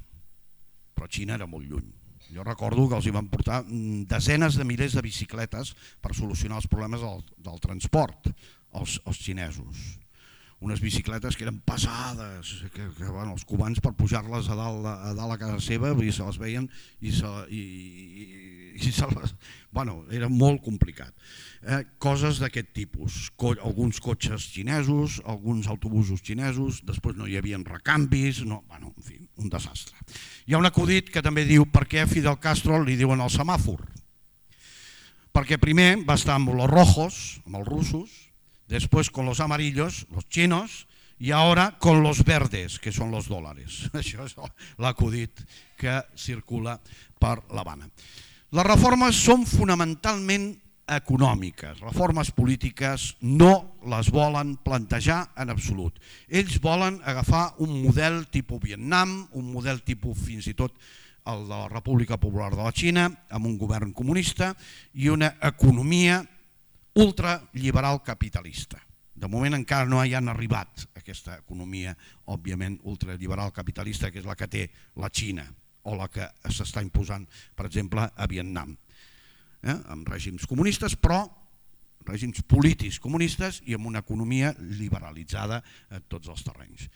però Xina era molt lluny. Jo recordo que els hi van portar desenes de milers de bicicletes per solucionar els problemes del, del transport, els, els xinesos. Unes bicicletes que eren pesades, que, que bueno, els cubans per pujar-les a dalt, a dalt a casa seva se les veien i se, i, i, i se les... Bueno, era molt complicat. Eh, coses d'aquest tipus, Co alguns cotxes xinesos, alguns autobusos xinesos, després no hi havia recanvis, no, bueno, en fi, un desastre. Hi ha un acudit que també diu per què a Fidel Castro li diuen el semàfor. Perquè primer va estar amb los rojos, amb els russos, después con los amarillos, los chinos, y ahora con los verdes, que són los dòlares. Això és l'acudit que circula per l'Havana. Les reformes són fonamentalment econòmiques, reformes polítiques no les volen plantejar en absolut. Ells volen agafar un model tipus Vietnam, un model tipus fins i tot el de la República Popular de la Xina, amb un govern comunista i una economia ultraliberal capitalista. De moment encara no hi han arribat a aquesta economia, òbviament, ultraliberal capitalista, que és la que té la Xina o la que s'està imposant, per exemple, a Vietnam, eh? amb règims comunistes, però règims polítics comunistes i amb una economia liberalitzada a tots els terrenys.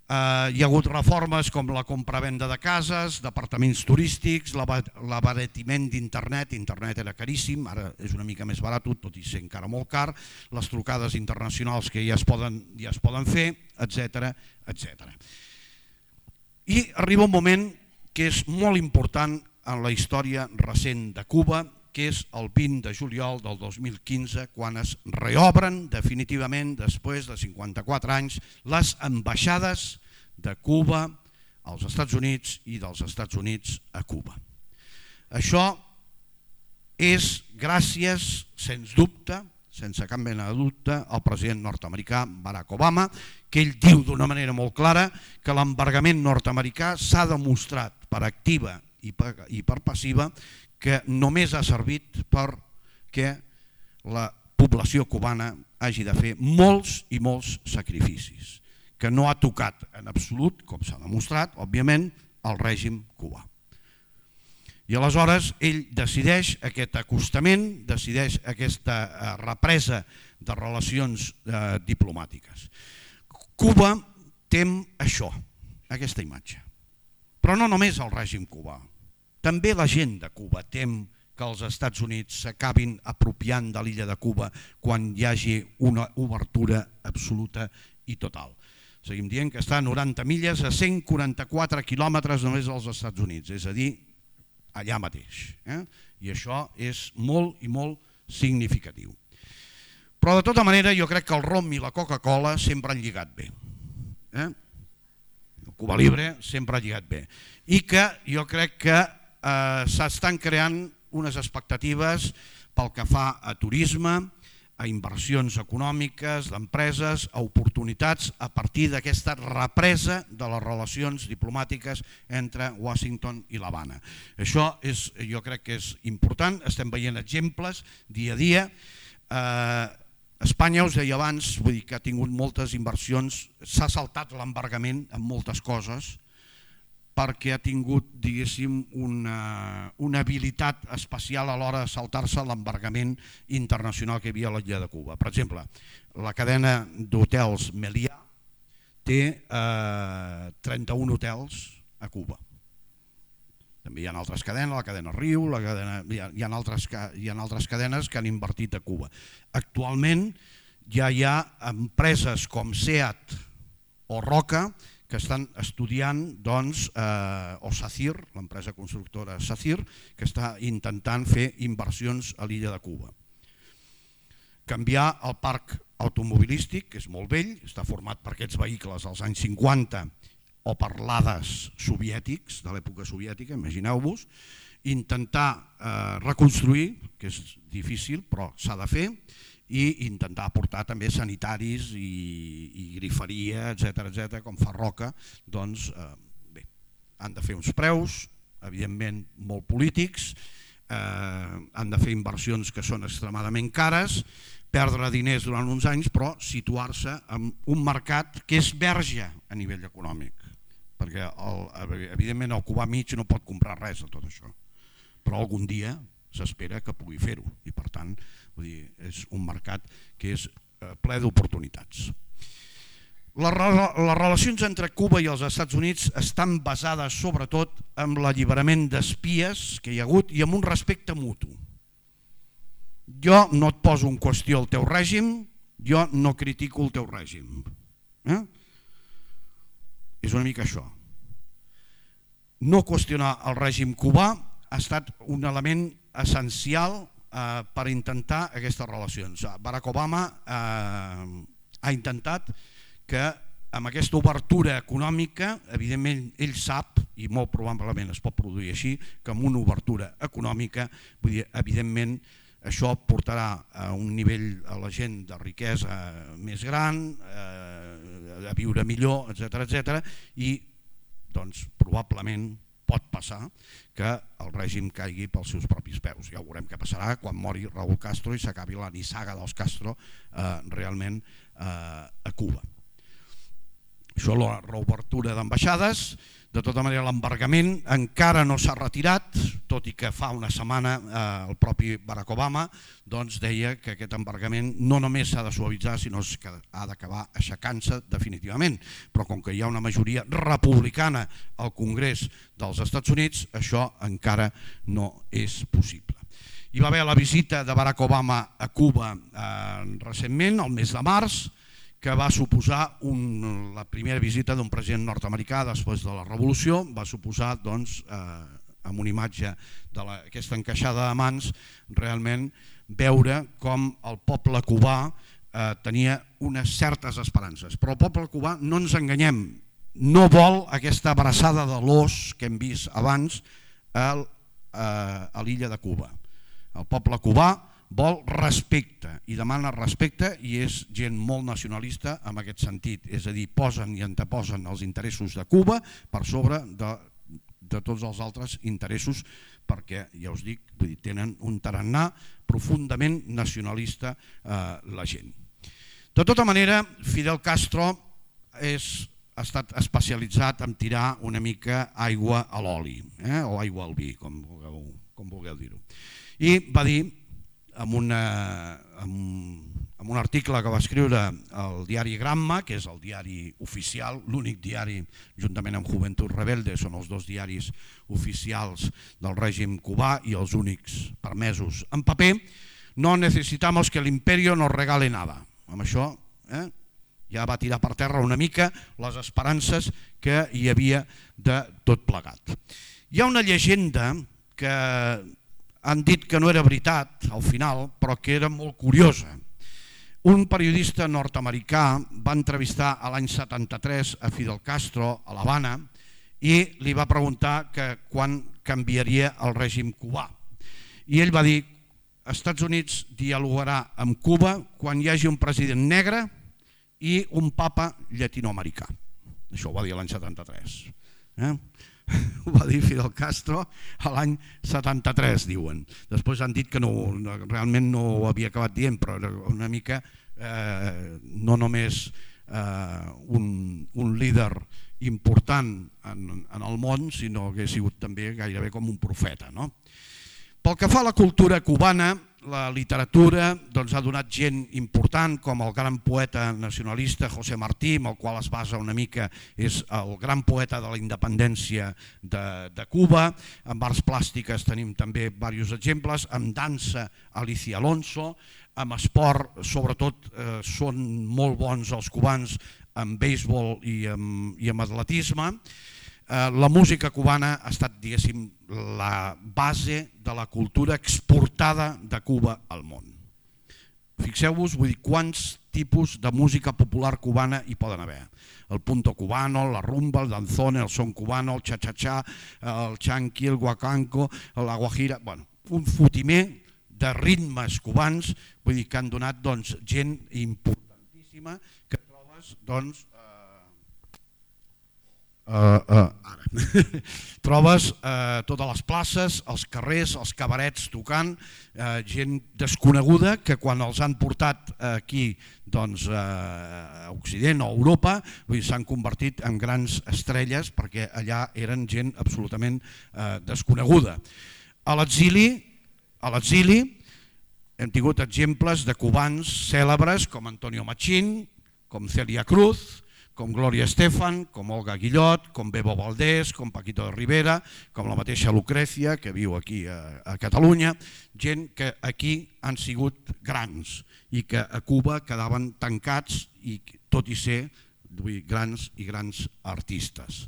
Uh, hi ha hagut reformes com la compravenda de cases, d'apartaments turístics, l'abaratiment d'internet, internet era caríssim, ara és una mica més barat, tot i ser encara molt car, les trucades internacionals que ja es poden, ja es poden fer, etcètera, etcètera. I arriba un moment que és molt important en la història recent de Cuba, que és el vint de juliol del dos mil quinze, quan es reobren definitivament, després de cinquanta-quatre anys, les ambaixades de Cuba als Estats Units i dels Estats Units a Cuba. Això és gràcies, sens dubte, sense cap mena de dubte, al president nord-americà Barack Obama, que ell diu d'una manera molt clara que l'embargament nord-americà s'ha demostrat per activa i per, i per passiva que només ha servit perquè la població cubana hagi de fer molts i molts sacrificis, que no ha tocat en absolut, com s'ha demostrat, òbviament, el règim cubà. I aleshores ell decideix aquest acostament, decideix aquesta represa de relacions eh, diplomàtiques. Cuba tem això, aquesta imatge. Però no només el règim cubà, també la gent de Cuba tem que els Estats Units s'acabin apropiant de l'illa de Cuba quan hi hagi una obertura absoluta i total. Seguim dient que està a noranta milles, a cent quaranta-quatre quilòmetres només dels Estats Units, és a dir, allà mateix. Eh? I això és molt i molt significatiu. Però de tota manera jo crec que el rom i la Coca-Cola sempre han lligat bé. Eh? El Cuba Libre sempre ha lligat bé. I que jo crec que eh, s'estan creant unes expectatives pel que fa a turisme, a inversions econòmiques, d'empreses, a oportunitats a partir d'aquesta represa de les relacions diplomàtiques entre Washington i l'Havana. Això és, jo crec que és important, estem veient exemples dia a dia. Eh, Espanya, us deia abans, vull dir que ha tingut moltes inversions, s'ha saltat l'embargament en moltes coses, perquè ha tingut, diguéssim, una, una habilitat especial a l'hora de saltar-se l'embargament internacional que hi havia a l'illa de Cuba. Per exemple, la cadena d'hotels Meliá té eh, trenta-un hotels a Cuba. També hi ha altres cadenes, la cadena Riu, la cadena, hi, ha, hi, ha altres, hi ha altres cadenes que han invertit a Cuba. Actualment ja hi ha empreses com SEAT o Roca que estan estudiant, doncs, eh, o SACIR, l'empresa constructora SACIR, que està intentant fer inversions a l'illa de Cuba. Canviar el parc automobilístic, que és molt vell, està format per aquests vehicles dels anys cinquanta o parlades soviètics, de l'època soviètica, imagineu-vos, intentar eh, reconstruir, que és difícil però s'ha de fer, i intentar aportar també sanitaris i, i griferia, etcètera, etcètera, com fa Roca, doncs eh, bé, han de fer uns preus, evidentment molt polítics, eh, han de fer inversions que són extremadament cares, perdre diners durant uns anys, però situar-se en un mercat que és verge a nivell econòmic, perquè el, evidentment el cubà mig no pot comprar res de tot això, però algun dia s'espera que pugui fer-ho i per tant vull dir, és un mercat que és ple d'oportunitats. Les, les relacions entre Cuba i els Estats Units estan basades sobretot en l'alliberament d'espies que hi ha hagut i en un respecte mutu. Jo no et poso en qüestió el teu règim, jo no critico el teu règim. Eh? És una mica això. No qüestionar el règim cubà ha estat un element essencial eh, per intentar aquestes relacions. Barack Obama eh, ha intentat que amb aquesta obertura econòmica, evidentment ell sap, i molt probablement es pot produir així, que amb una obertura econòmica, vull dir, evidentment, això portarà a un nivell a la gent de riquesa més gran, eh, a viure millor, etcètera, etcètera, i doncs, probablement pot passar que el règim caigui pels seus propis peus. Ja ho veurem què passarà quan mori Raúl Castro i s'acabi la nissaga dels Castro eh, realment eh, a Cuba. Això, la reobertura d'ambaixades. De tota manera, l'embargament encara no s'ha retirat, tot i que fa una setmana eh, el propi Barack Obama doncs, deia que aquest embargament no només s'ha de suavitzar, sinó que ha d'acabar aixecant-se definitivament. Però com que hi ha una majoria republicana al Congrés dels Estats Units, això encara no és possible. Hi va haver la visita de Barack Obama a Cuba eh, recentment, el mes de març, que va suposar un, la primera visita d'un president nord-americà després de la revolució, va suposar, doncs, eh, amb una imatge d'aquesta encaixada de mans, realment veure com el poble cubà eh, tenia unes certes esperances. Però el poble cubà, no ens enganyem, no vol aquesta abraçada de l'os que hem vist abans a, a, a l'illa de Cuba. El poble cubà vol respecte i demana respecte i és gent molt nacionalista en aquest sentit, és a dir, posen i anteposen els interessos de Cuba per sobre de, de tots els altres interessos perquè, ja us dic, vull dir, tenen un tarannà profundament nacionalista eh, la gent. De tota manera, Fidel Castro és, ha estat especialitzat en tirar una mica aigua a l'oli, eh, o aigua al vi, com vulgueu, com vulgueu dir-ho. I va dir, amb, una, amb, amb un article que va escriure el diari Gramma, que és el diari oficial, l'únic diari, juntament amb Juventud Rebelde, són els dos diaris oficials del règim cubà i els únics permesos en paper. No necesitamos que el imperio nos regale nada. Amb això eh, ja va tirar per terra una mica les esperances que hi havia de tot plegat. Hi ha una llegenda que han dit que no era veritat al final, però que era molt curiosa. Un periodista nord-americà va entrevistar a l'any setanta-tres a Fidel Castro a l'Havana i li va preguntar que quan canviaria el règim cubà. I ell va dir, Estats Units dialogarà amb Cuba quan hi hagi un president negre i un papa llatinoamericà. Això ho va dir l'any setanta-tres. Eh? Ho va dir Fidel Castro a l'any setanta-tres, diuen. Després han dit que no, realment no ho havia acabat dient, però era una mica eh, no només eh, un, un líder important en, en el món, sinó que ha sigut també gairebé com un profeta, no? Pel que fa a la cultura cubana, la literatura doncs, ha donat gent important com el gran poeta nacionalista José Martí, amb el qual es basa una mica, és el gran poeta de la independència de, de Cuba. En arts plàstiques tenim també diversos exemples, en dansa Alicia Alonso, en esport sobretot eh, són molt bons els cubans en béisbol i en, i en atletisme. La música cubana ha estat, diguéssim, la base de la cultura exportada de Cuba al món. Fixeu-vos, vull dir, quants tipus de música popular cubana hi poden haver. El punto cubano, la rumba, el danzone, el son cubano, el cha-cha-cha, el chanqui, el guacanco, la guajira... Bueno, un fotimer de ritmes cubans, vull dir que han donat doncs, gent importantíssima que trobes doncs, Uh, uh, ara. trobes uh, totes les places, els carrers, els cabarets tocant, uh, gent desconeguda que quan els han portat aquí doncs, uh, a Occident o a Europa s'han convertit en grans estrelles perquè allà eren gent absolutament uh, desconeguda. A l'exili a l'exili hem tingut exemples de cubans cèlebres com Antonio Machín, com Celia Cruz, com Gloria Estefan, com Olga Guillot, com Bebo Valdés, com Paquito de Rivera, com la mateixa Lucrecia, que viu aquí a, a Catalunya, gent que aquí han sigut grans i que a Cuba quedaven tancats, i tot i ser vull dir, grans i grans artistes.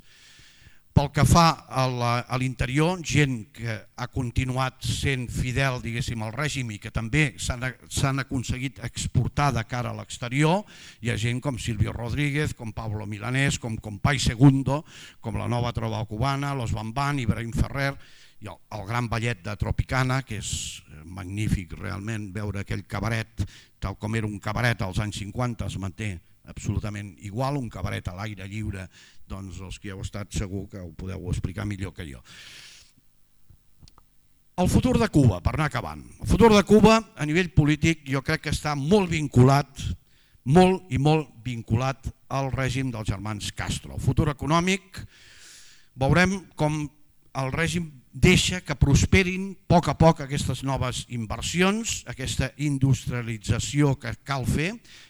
Pel que fa a l'interior, gent que ha continuat sent fidel diguéssim al règim i que també s'han aconseguit exportar de cara a l'exterior, hi ha gent com Silvio Rodríguez, com Pablo Milanés, com Compay Segundo, com la Nova Trova Cubana, Los Bambán, Ibrahim Ferrer, i el, el gran ballet de Tropicana, que és magnífic realment veure aquell cabaret, tal com era un cabaret als anys cinquanta, es manté absolutament igual, un cabaret a l'aire lliure, doncs els que heu estat segur que ho podeu explicar millor que jo. El futur de Cuba, per anar acabant. El futur de Cuba a nivell polític jo crec que està molt vinculat, molt i molt vinculat al règim dels germans Castro. El futur econòmic, veurem com el règim deixa que prosperin a poc a poc aquestes noves inversions, aquesta industrialització que cal fer,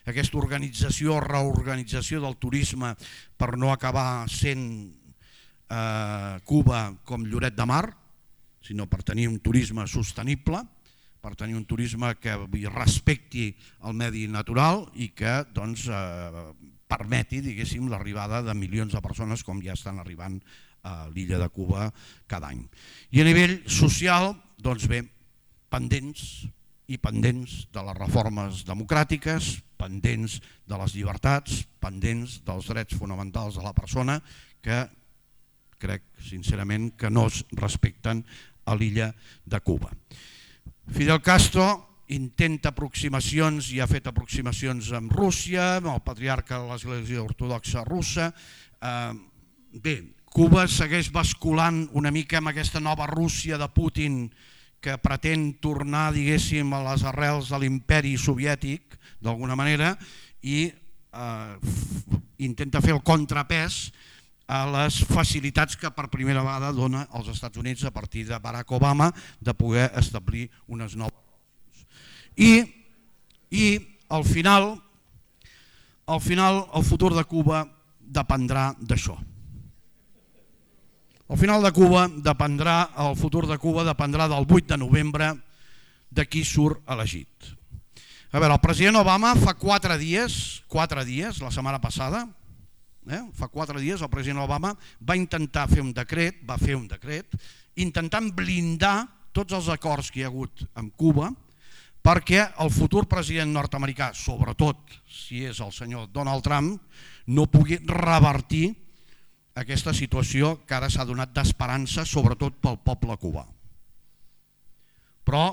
aquesta organització, reorganització del turisme per no acabar sent eh, Cuba com Lloret de Mar, sinó per tenir un turisme sostenible, per tenir un turisme que respecti el medi natural i que doncs, eh, permeti diguéssim l'arribada de milions de persones com ja estan arribant a l'illa de Cuba cada any. I a nivell social, doncs bé, pendents i pendents de les reformes democràtiques, pendents de les llibertats, pendents dels drets fonamentals de la persona que crec sincerament que no es respecten a l'illa de Cuba. Fidel Castro intenta aproximacions i ha fet aproximacions amb Rússia, amb el patriarca de l'Església Ortodoxa russa. Bé, Cuba segueix basculant una mica amb aquesta nova Rússia de Putin que pretén tornar, diguéssim, a les arrels de l'imperi soviètic, d'alguna manera, i eh, intenta fer el contrapès a les facilitats que per primera vegada dona als Estats Units a partir de Barack Obama de poder establir unes noves relacions. I, i al final, al final el futur de Cuba dependrà d'això. Al final de Cuba dependrà, el futur de Cuba dependrà del vuit de novembre de qui surt elegit. A veure, el president Obama fa quatre dies, quatre dies, la setmana passada, eh, fa quatre dies el president Obama va intentar fer un decret, va fer un decret, intentant blindar tots els acords que hi ha hagut amb Cuba perquè el futur president nord-americà, sobretot si és el senyor Donald Trump, no pugui revertir aquesta situació que ara s'ha donat d'esperança, sobretot pel poble cubà. Però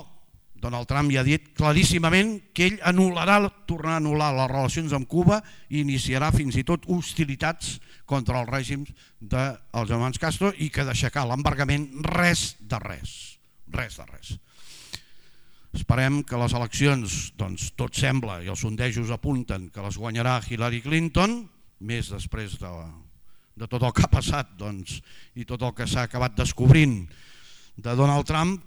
Donald Trump ja ha dit claríssimament que ell anul·larà, tornarà a anul·lar les relacions amb Cuba i iniciarà fins i tot hostilitats contra el règim dels germans Castro i que d'aixecar l'embargament res de res, res de res. Esperem que les eleccions, doncs tot sembla, i els sondejos apunten que les guanyarà Hillary Clinton, més després de de tot el que ha passat doncs, i tot el que s'ha acabat descobrint de Donald Trump,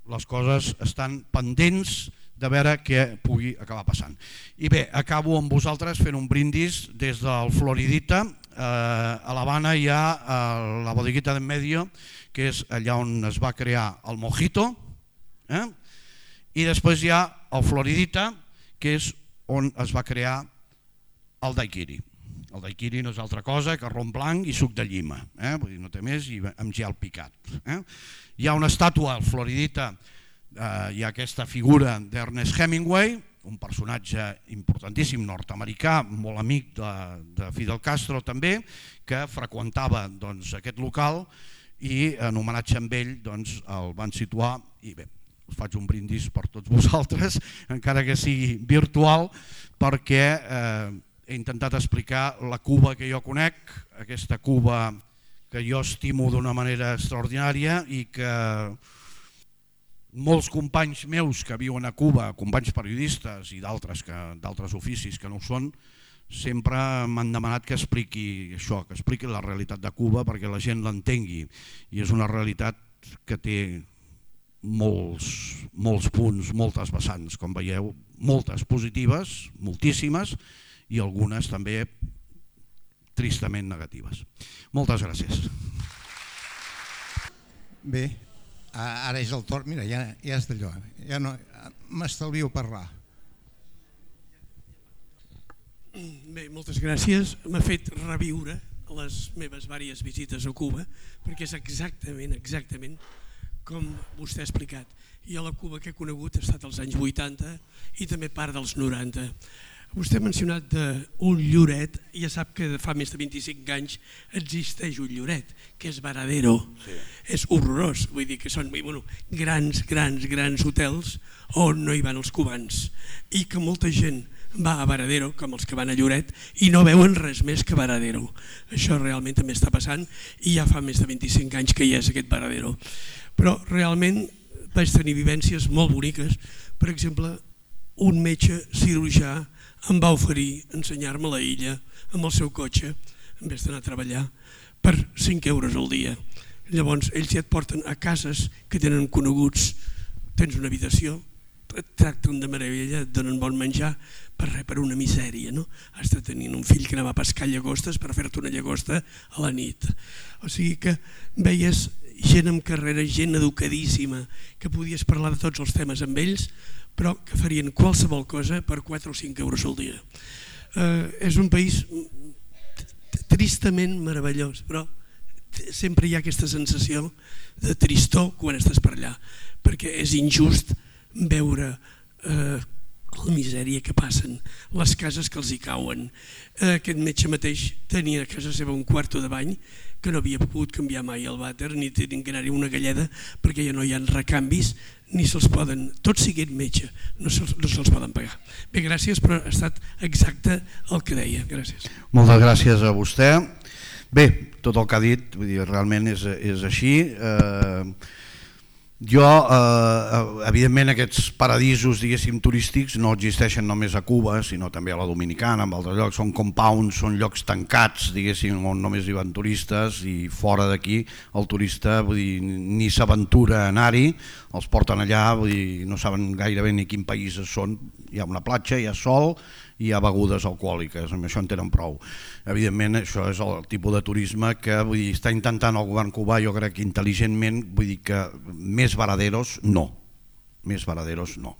les coses estan pendents de veure què pugui acabar passant. I bé, acabo amb vosaltres fent un brindis des del Floridita. Eh, a l'Havana hi ha eh, la bodeguita d'en medio, que és allà on es va crear el mojito, eh? I després hi ha el Floridita, que és on es va crear el daiquiri. El daiquiri no és altra cosa que rom blanc i suc de llima, eh? Vull dir, no té més, i amb gel picat. Eh? Hi ha una estàtua al Floridita, eh, hi ha aquesta figura d'Ernest Hemingway, un personatge importantíssim nord-americà, molt amic de, de Fidel Castro també, que freqüentava doncs, aquest local i en homenatge amb ell doncs, el van situar i bé, us faig un brindis per tots vosaltres, encara que sigui virtual, perquè eh, he intentat explicar la Cuba que jo conec, aquesta Cuba que jo estimo d'una manera extraordinària i que molts companys meus que viuen a Cuba, companys periodistes i d'altres d'altres oficis que no ho són, sempre m'han demanat que expliqui això, que expliqui la realitat de Cuba perquè la gent l'entengui. I és una realitat que té molts, molts punts, moltes vessants, com veieu, moltes positives, moltíssimes, i algunes també tristament negatives. Moltes gràcies. Bé, ara és el torn, mira, ja, ja és d'allò, ja no, m'estalvio parlar. Bé, moltes gràcies. M'ha fet reviure les meves diverses visites a Cuba, perquè és exactament, exactament com vostè ha explicat. I a la Cuba que he conegut ha estat als anys vuitanta i també part dels noranta. Vostè ha mencionat un lloret, i ja sap que fa més de vint-i-cinc anys existeix un lloret, que és Varadero. Sí. És horrorós, vull dir que són bueno, grans, grans, grans hotels on no hi van els cubans i que molta gent va a Varadero, com els que van a Lloret, i no veuen res més que Varadero. Això realment també està passant i ja fa més de vint-i-cinc anys que hi és aquest Varadero. Però realment vaig tenir vivències molt boniques. Per exemple, un metge cirurgià em va oferir ensenyar-me la illa amb el seu cotxe, en vez d'anar a treballar, per cinc euros al dia. Llavors, ells ja et porten a cases que tenen coneguts, tens una habitació, et tracten de meravella, et donen bon menjar, per res, per una misèria, no? Has de tenir un fill que anava a pescar llagostes per fer-te una llagosta a la nit. O sigui que veies gent amb carrera, gent educadíssima, que podies parlar de tots els temes amb ells, però que farien qualsevol cosa per quatre o cinc euros al dia. Eh, és un país tristament meravellós, però sempre hi ha aquesta sensació de tristor quan estàs per allà, perquè és injust veure eh, la misèria que passen, les cases que els hi cauen. Eh, aquest metge mateix tenia a casa seva un quarto de bany que no havia pogut canviar mai el vàter ni tenien que anar-hi una galleda perquè ja no hi ha recanvis ni se'ls poden, tots siguin metge, no se'ls no se poden pagar. Bé, gràcies, però ha estat exacte el que deia. Gràcies. Moltes gràcies a vostè. Bé, tot el que ha dit, vull dir, realment és, és així. Eh, jo, eh, evidentment, aquests paradisos, diguéssim, turístics no existeixen només a Cuba, sinó també a la Dominicana, en altres llocs. Són compounds, són llocs tancats, diguéssim, on només hi van turistes i fora d'aquí el turista, vull dir, ni s'aventura a anar-hi, els porten allà, vull dir, no saben gairebé ni quin país són. Hi ha una platja, hi ha sol, hi ha begudes alcohòliques, amb això en tenen prou. Evidentment, això és el tipus de turisme que vull dir, està intentant el govern cubà, jo crec que intel·ligentment, vull dir que més varaderos no, més varaderos no.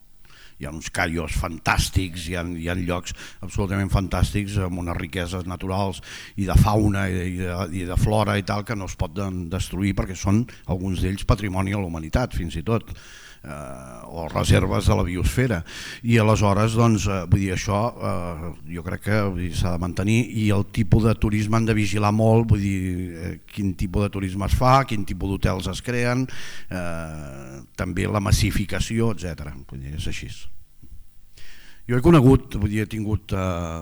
Hi ha uns callos fantàstics, hi ha, hi ha llocs absolutament fantàstics amb unes riqueses naturals i de fauna i de, i de flora i tal que no es pot destruir perquè són alguns d'ells patrimoni a la humanitat fins i tot. Eh, o reserves de la biosfera i aleshores doncs, eh, vull dir, això eh, jo crec que s'ha de mantenir i el tipus de turisme han de vigilar molt, vull dir, eh, quin tipus de turisme es fa, quin tipus d'hotels es creen, eh, també la massificació, etcètera. Vull dir, és així. Jo he conegut, vull dir, he tingut eh,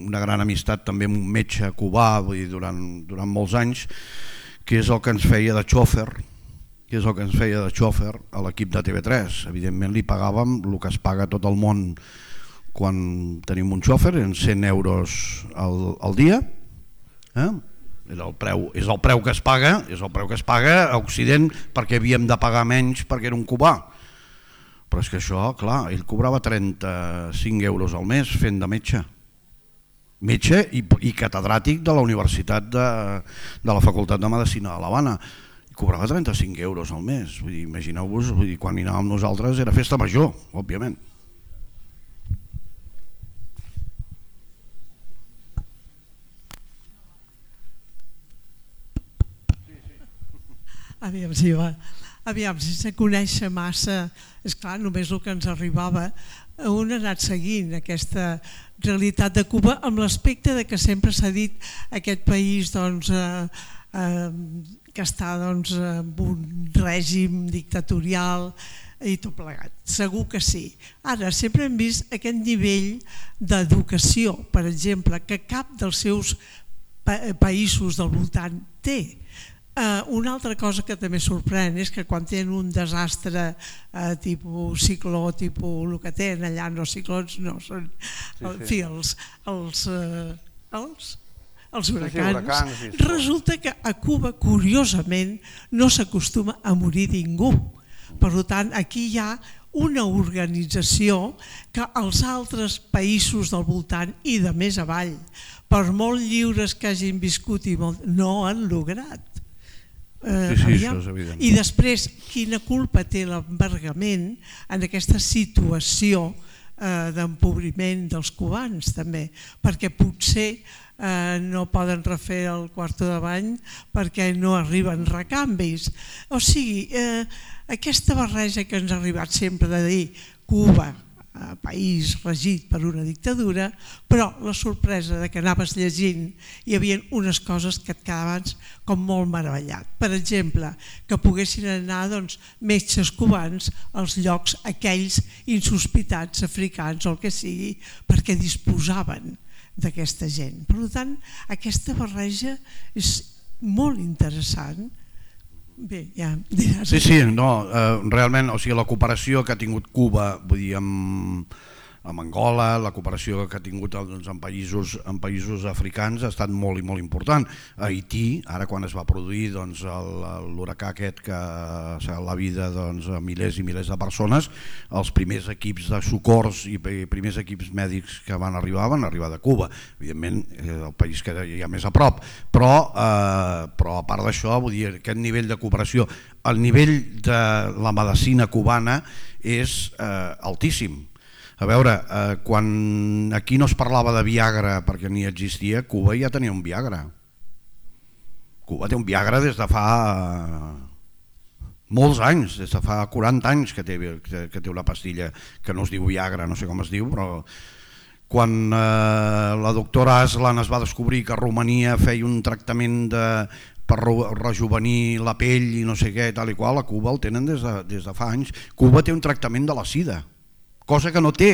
una gran amistat també amb un metge cubà, vull dir, durant, durant molts anys, que és el que ens feia de xòfer, que és el que ens feia de xòfer a l'equip de T V tres. Evidentment li pagàvem el que es paga a tot el món quan tenim un xòfer, en cent euros al, al dia. Eh? És, el preu, és el preu que es paga, és el preu que es paga a Occident perquè havíem de pagar menys perquè era un cubà. Però és que això, clar, ell cobrava trenta-cinc euros al mes fent de metge. Metge i, i catedràtic de la Universitat de, de la Facultat de Medicina de l'Havana. Cobrava trenta-cinc euros al mes. Vull dir, imagineu-vos, vull dir, quan hi anàvem nosaltres era festa major, òbviament. Aviam si va. Aviam, sense conèixer massa, és clar, només el que ens arribava un ha anat seguint aquesta realitat de Cuba amb l'aspecte de que sempre s'ha dit aquest país doncs, eh, eh, que està doncs, en un règim dictatorial i tot plegat. Segur que sí. Ara, sempre hem vist aquest nivell d'educació, per exemple, que cap dels seus pa països del voltant té. Uh, una altra cosa que també sorprèn és que quan tenen un desastre uh, tipus cicló, tipus el que tenen allà, no ciclons, no, són sí, sí. En fi, els, els, uh, els, els huracans, sí, sí, huracans sí, resulta que a Cuba, curiosament, no s'acostuma a morir ningú. Per tant, aquí hi ha una organització que els altres països del voltant i de més avall, per molt lliures que hagin viscut, i molt, no han lograt. Eh, sí, sí, això és evident. I després, quina culpa té l'embargament en aquesta situació eh, d'empobriment dels cubans també, perquè potser eh, no poden refer el quarto de bany perquè no arriben recanvis. O sigui, eh, aquesta barreja que ens ha arribat sempre de dir Cuba, país regit per una dictadura, però la sorpresa de que anaves llegint hi havia unes coses que et quedaven com molt meravellat. Per exemple, que poguessin anar doncs, metges cubans als llocs aquells insospitats africans o el que sigui, perquè disposaven d'aquesta gent. Per tant, aquesta barreja és molt interessant. Bé, ja diràs. Sí, sí, no, eh, realment, o sigui, la cooperació que ha tingut Cuba, vull dir, amb, amb Angola, la cooperació que ha tingut doncs, en, països, en països africans ha estat molt i molt important. A Haití, ara quan es va produir doncs, l'huracà aquest que s'ha la vida doncs, a milers i milers de persones, els primers equips de socors i primers equips mèdics que van arribar van arribar de Cuba, evidentment el país que hi ha més a prop, però, eh, però a part d'això, vull dir, aquest nivell de cooperació, el nivell de la medicina cubana és eh, altíssim. A veure, eh, quan aquí no es parlava de Viagra perquè ni existia, Cuba ja tenia un Viagra. Cuba té un Viagra des de fa molts anys, des de fa quaranta anys que té, que té una pastilla que no es diu Viagra, no sé com es diu, però quan eh, la doctora Aslan es va descobrir que a Romania feia un tractament de, per rejuvenir la pell i no sé què, tal i qual, a Cuba el tenen des de, des de fa anys. Cuba té un tractament de la sida, cosa que no té,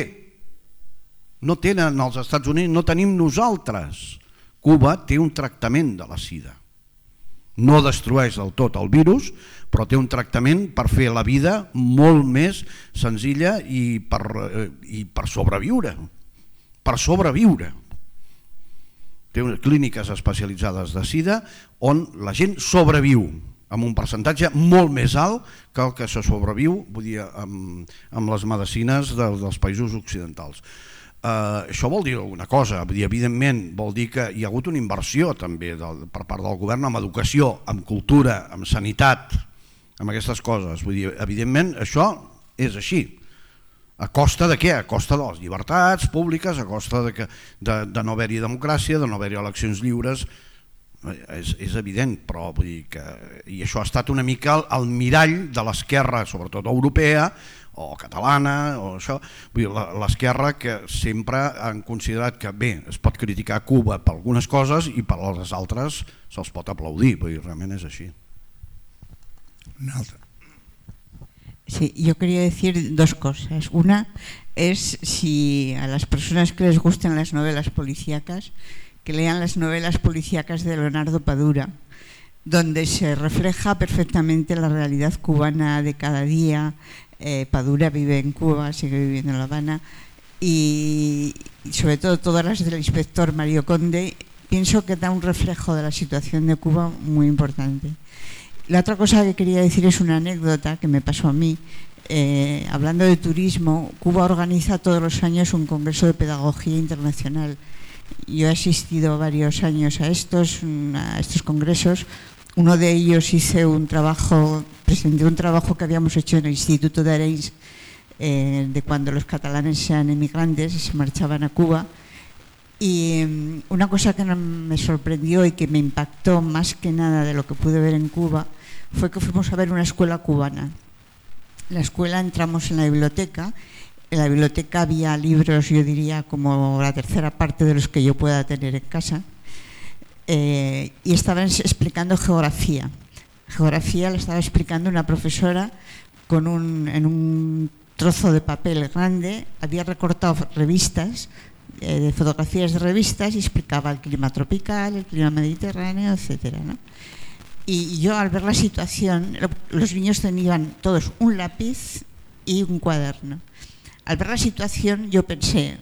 no tenen els Estats Units, no tenim nosaltres. Cuba té un tractament de la sida. No destrueix del tot el virus, però té un tractament per fer la vida molt més senzilla i per, i per sobreviure. Per sobreviure. Té unes clíniques especialitzades de sida on la gent sobreviu, amb un percentatge molt més alt que el que se sobreviu, vull dir, amb, amb les medicines de, dels països occidentals. Uh, això vol dir alguna cosa, vull dir, evidentment vol dir que hi ha hagut una inversió també del, per part del govern en educació, en cultura, en sanitat, en aquestes coses. Vull dir, evidentment això és així. A costa de què? A costa de les llibertats públiques, a costa de, que, de, de no haver-hi democràcia, de no haver-hi eleccions lliures. És, és evident, però vull dir que i això ha estat una mica el, el mirall de l'esquerra, sobretot europea o catalana, o això, vull dir, l'esquerra que sempre han considerat que bé, es pot criticar Cuba per algunes coses i per les altres se'ls pot aplaudir, vull dir, realment és així. Una altra. Sí, yo quería decir dos cosas. Una es si a las personas que les gusten las novelas policíacas, que lean las novelas policíacas de Leonardo Padura, donde se refleja perfectamente la realidad cubana de cada día. Eh, Padura vive en Cuba, sigue viviendo en La Habana, y, y sobre todo todas las del inspector Mario Conde, pienso que da un reflejo de la situación de Cuba muy importante. La otra cosa que quería decir es una anécdota que me pasó a mí. Eh, hablando de turismo, Cuba organiza todos los años un congreso de pedagogía internacional. Yo he asistido varios años a estos, a estos congresos. Uno de ellos hice un trabajo, presenté un trabajo que habíamos hecho en el Instituto de Arenys, eh, de cuando los catalanes eran emigrantes y se marchaban a Cuba. Y una cosa que me sorprendió y que me impactó más que nada de lo que pude ver en Cuba fue que fuimos a ver una escuela cubana. La escuela, entramos en la biblioteca En la biblioteca había libros, yo diría, como la tercera parte de los que yo pueda tener en casa. Eh, y estaban explicando geografía. Geografía la estaba explicando una profesora con un, en un trozo de papel grande, había recortado revistas, eh, de fotografías de revistas, y explicaba el clima tropical, el clima mediterráneo, etcétera, ¿no? Y yo, al ver la situación, los niños tenían todos un lápiz y un cuaderno. Al ver la situación yo pensé,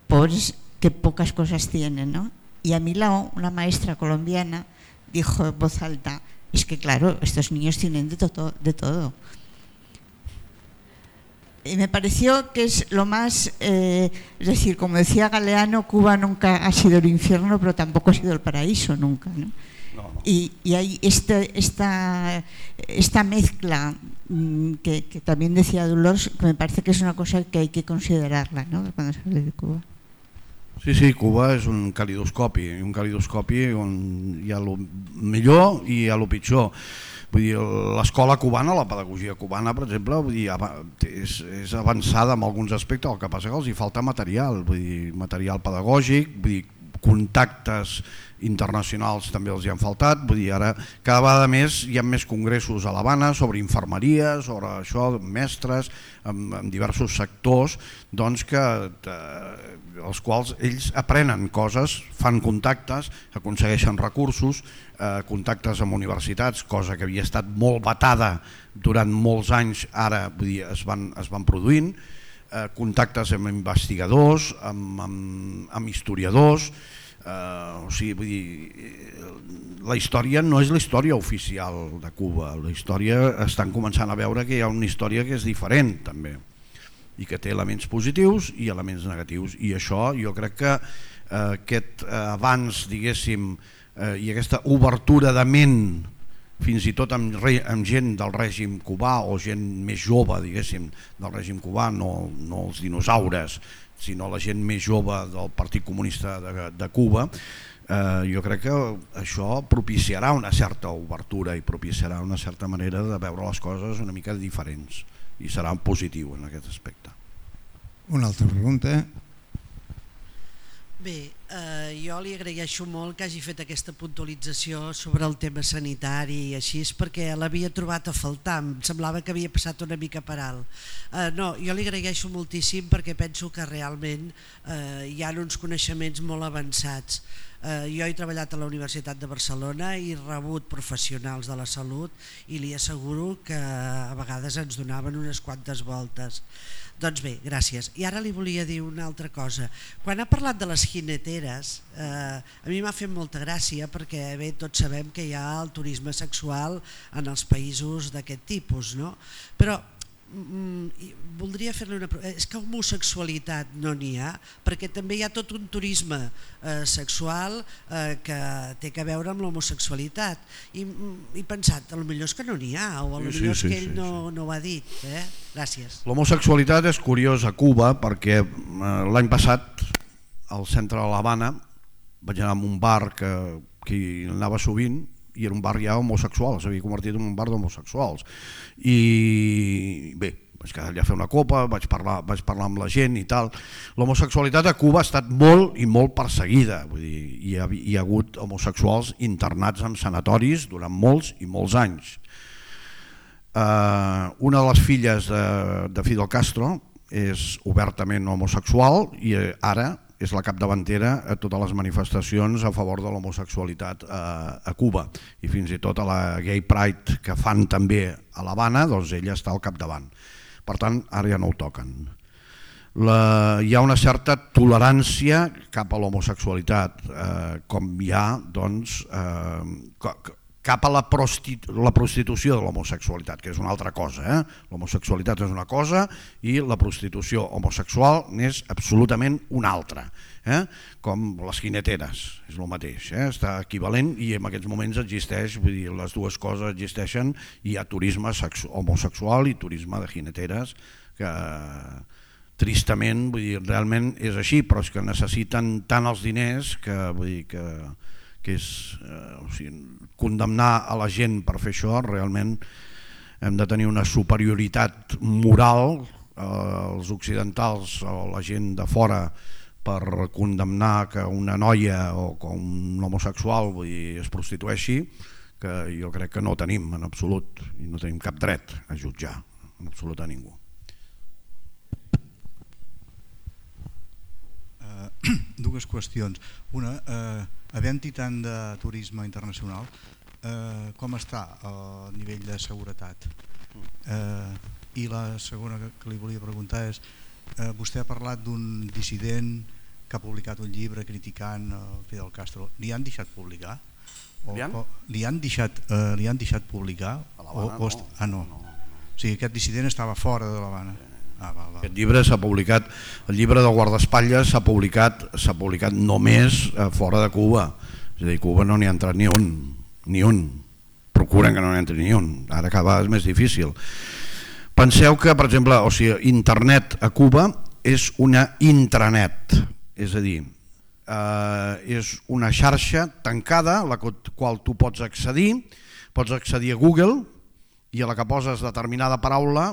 pobres, qué pocas cosas tienen, ¿no? Y a mi lado una maestra colombiana dijo en voz alta, es que claro, estos niños tienen de todo, de todo. Y me pareció que es lo más, eh, es decir, como decía Galeano, Cuba nunca ha sido el infierno, pero tampoco ha sido el paraíso nunca, ¿no? No, no. Y, y hay este, esta, esta mezcla mmm, que, que también decía Dolors, que me parece que es una cosa que hay que considerarla, ¿no?, cuando se habla de Cuba. Sí, sí, Cuba és un calidoscopi, un calidoscopi on hi ha el millor i hi ha el pitjor. Vull dir, l'escola cubana, la pedagogia cubana, per exemple, vull dir, és, és avançada en alguns aspectes, el que passa que els hi falta material, vull dir, material pedagògic, vull dir, contactes internacionals també els hi han faltat, vull dir, ara cada vegada més hi ha més congressos a l'Havana sobre infermeria, sobre això, mestres, en, en diversos sectors, doncs que eh, els quals ells aprenen coses, fan contactes, aconsegueixen recursos, eh, contactes amb universitats, cosa que havia estat molt vetada durant molts anys, ara vull dir, es van, es van produint, eh, contactes amb investigadors, amb, amb, amb historiadors, Uh, o sigui, vull dir, la història no és la història oficial de Cuba, la història estan començant a veure que hi ha una història que és diferent també i que té elements positius i elements negatius, i això jo crec que uh, aquest uh, abans, diguéssim, uh, i aquesta obertura de ment fins i tot amb, re, amb gent del règim cubà o gent més jove, diguéssim, del règim cubà, no, no els dinosaures, sinó la gent més jove del Partit Comunista de, de Cuba, eh, jo crec que això propiciarà una certa obertura i propiciarà una certa manera de veure les coses una mica diferents, i serà positiu en aquest aspecte. Una altra pregunta. Bé, eh, jo li agraeixo molt que hagi fet aquesta puntualització sobre el tema sanitari i així, perquè l'havia trobat a faltar, em semblava que havia passat una mica per alt. Eh, no, jo li agraeixo moltíssim perquè penso que realment eh, hi ha uns coneixements molt avançats. Eh, jo he treballat a la Universitat de Barcelona i he rebut professionals de la salut i li asseguro que a vegades ens donaven unes quantes voltes. Doncs bé, gràcies. I ara li volia dir una altra cosa. Quan ha parlat de les jineteres, eh, a mi m'ha fet molta gràcia perquè bé, tots sabem que hi ha el turisme sexual en els països d'aquest tipus, no? Però mm, voldria fer-li una pregunta. És que homosexualitat no n'hi ha, perquè també hi ha tot un turisme eh, sexual eh, que té a veure amb l'homosexualitat. I he pensat, potser és que no n'hi ha, o potser sí, sí, és que ell sí, no, sí. no ho ha dit. Eh? Gràcies. L'homosexualitat és curiosa a Cuba perquè eh, l'any passat al centre de l'Havana vaig anar a un bar que, que hi anava sovint, i era un bar ja homosexual, s'havia convertit en un bar d'homosexuals, i bé, vaig quedar allà a fer una copa, vaig parlar, vaig parlar amb la gent i tal. L'homosexualitat a Cuba ha estat molt i molt perseguida, vull dir, hi ha, hi ha hagut homosexuals internats en sanatoris durant molts i molts anys. Uh, una de les filles de, de Fidel Castro és obertament homosexual i ara és la capdavantera a totes les manifestacions a favor de l'homosexualitat a, a Cuba, i fins i tot a la Gay Pride que fan també a l'Havana, doncs ella està al capdavant. Per tant, ara ja no ho toquen. La, hi ha una certa tolerància cap a l'homosexualitat, eh, com hi ha doncs, eh, cap a la, prostitu la prostitució de l'homosexualitat, que és una altra cosa. Eh? L'homosexualitat és una cosa i la prostitució homosexual n'és absolutament una altra. Eh? Com les jineteres, és el mateix, eh? Està equivalent i en aquests moments existeix, vull dir, les dues coses existeixen, i hi ha turisme homosexual i turisme de jineteres que tristament, vull dir, realment és així, però és que necessiten tant els diners que, vull dir, que que és eh, o sigui, condemnar a la gent per fer això. Realment hem de tenir una superioritat moral els occidentals o la gent de fora per condemnar que una noia o que un homosexual, vull dir, es prostitueixi, que jo crec que no tenim en absolut i no tenim cap dret a jutjar en absolut a ningú. Uh, dues qüestions. Una, uh, havent-hi tant de turisme internacional, uh, com està el nivell de seguretat? Uh, I la segona que li volia preguntar és, uh, vostè ha parlat d'un dissident que ha publicat un llibre criticant uh, Fidel Castro. Li han deixat publicar? O, li, han? O, li, han deixat, uh, li han deixat publicar? A l'Havana o, o, no. Ah, no. no. O sigui, aquest dissident estava fora de l'Havana. Ah, val, val. Aquest llibre s'ha publicat, el llibre del guardaespatlles s'ha publicat, s'ha publicat només fora de Cuba. És a dir, Cuba no n'hi ha entrat ni un, ni un. Procuren que no n'hi entri ni un. Ara cada vegada és més difícil. Penseu que, per exemple, o sigui, internet a Cuba és una intranet, és a dir, eh, és una xarxa tancada a la qual tu pots accedir, pots accedir a Google i a la que poses determinada paraula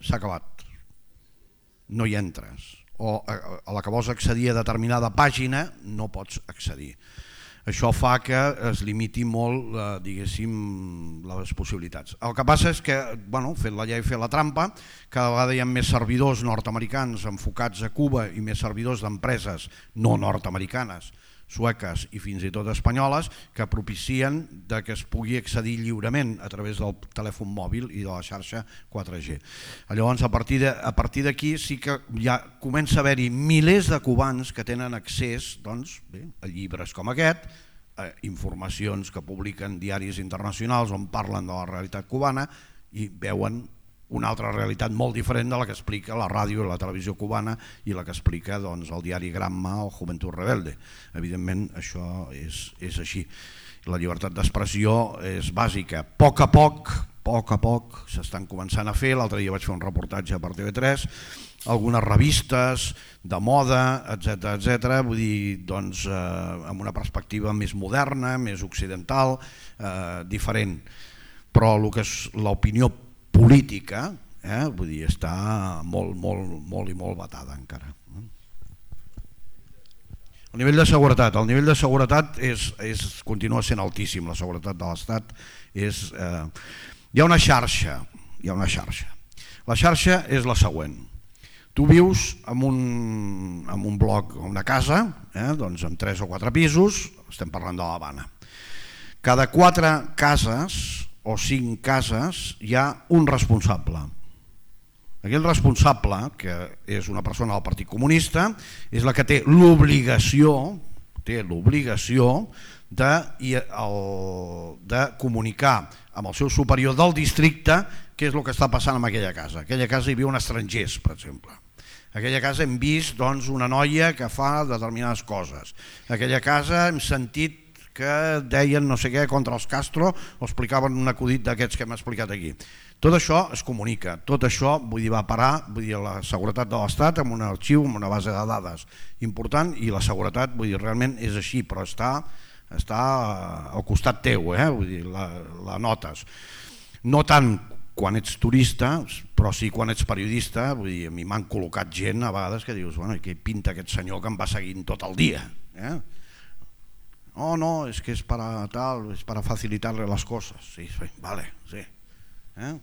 s'ha acabat, no hi entres, o a la que vols accedir a determinada pàgina no pots accedir. Això fa que es limiti molt, eh, diguéssim, les possibilitats. El que passa és que, bueno, fet la llei, fet la trampa, cada vegada hi ha més servidors nord-americans enfocats a Cuba i més servidors d'empreses no nord-americanes, sueques i fins i tot espanyoles, que propicien de que es pugui accedir lliurement a través del telèfon mòbil i de la xarxa quatre G. Llavors, a partir d'aquí sí que ja comença a haver-hi milers de cubans que tenen accés, doncs, bé, a llibres com aquest, a informacions que publiquen diaris internacionals on parlen de la realitat cubana i veuen una altra realitat molt diferent de la que explica la ràdio i la televisió cubana i la que explica doncs, el diari Gramma o Juventud Rebelde. Evidentment això és, és així. La llibertat d'expressió és bàsica. A poc a poc, a poc a poc s'estan començant a fer. L'altre dia vaig fer un reportatge per T V tres, algunes revistes de moda, etcètera, etcètera, vull dir, doncs, eh, amb una perspectiva més moderna, més occidental, eh, diferent. Però el que és l'opinió política, eh, vull dir, està molt, molt, molt i molt batada encara. El nivell de seguretat, el nivell de seguretat és, és, continua sent altíssim, la seguretat de l'Estat és... Eh, hi ha una xarxa, hi ha una xarxa. La xarxa és la següent. Tu vius en un, en un bloc, una casa, eh, doncs amb tres o quatre pisos, estem parlant de l'Havana. Cada quatre cases o cinc cases hi ha un responsable. Aquell responsable, que és una persona del Partit Comunista, és la que té l'obligació té l'obligació de, de comunicar amb el seu superior del districte què és el que està passant en aquella casa. Aquella casa hi viuen estrangers, per exemple. A aquella casa hem vist doncs, una noia que fa determinades coses. A aquella casa hem sentit que deien no sé què contra els Castro o explicaven un acudit d'aquests que hem explicat aquí. Tot això es comunica, tot això vull dir, va parar vull dir, la seguretat de l'Estat amb un arxiu, amb una base de dades important i la seguretat vull dir, realment és així, però està, està al costat teu, eh? Vull dir, la, la notes. No tant quan ets turista, però sí quan ets periodista, vull dir, a mi m'han col·locat gent a vegades que dius, bueno, què pinta aquest senyor que em va seguint tot el dia, eh? Oh, no, es que es para tal, es para facilitarle las cosas. Sí, sí, vale, sí. Eh?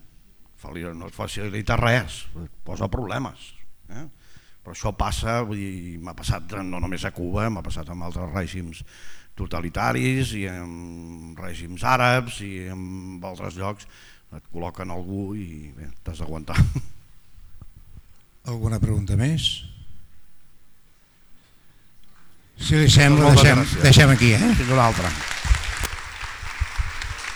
No et facilita res, posa problemes. Eh? Però això passa, vull dir, m'ha passat no només a Cuba, m'ha passat amb altres règims totalitaris i amb règims àrabs i en altres llocs. Et col·loquen algú i bé, t'has d'aguantar. Alguna pregunta més? Si li sembla, deixem, deixem aquí. Eh? Fins una altra.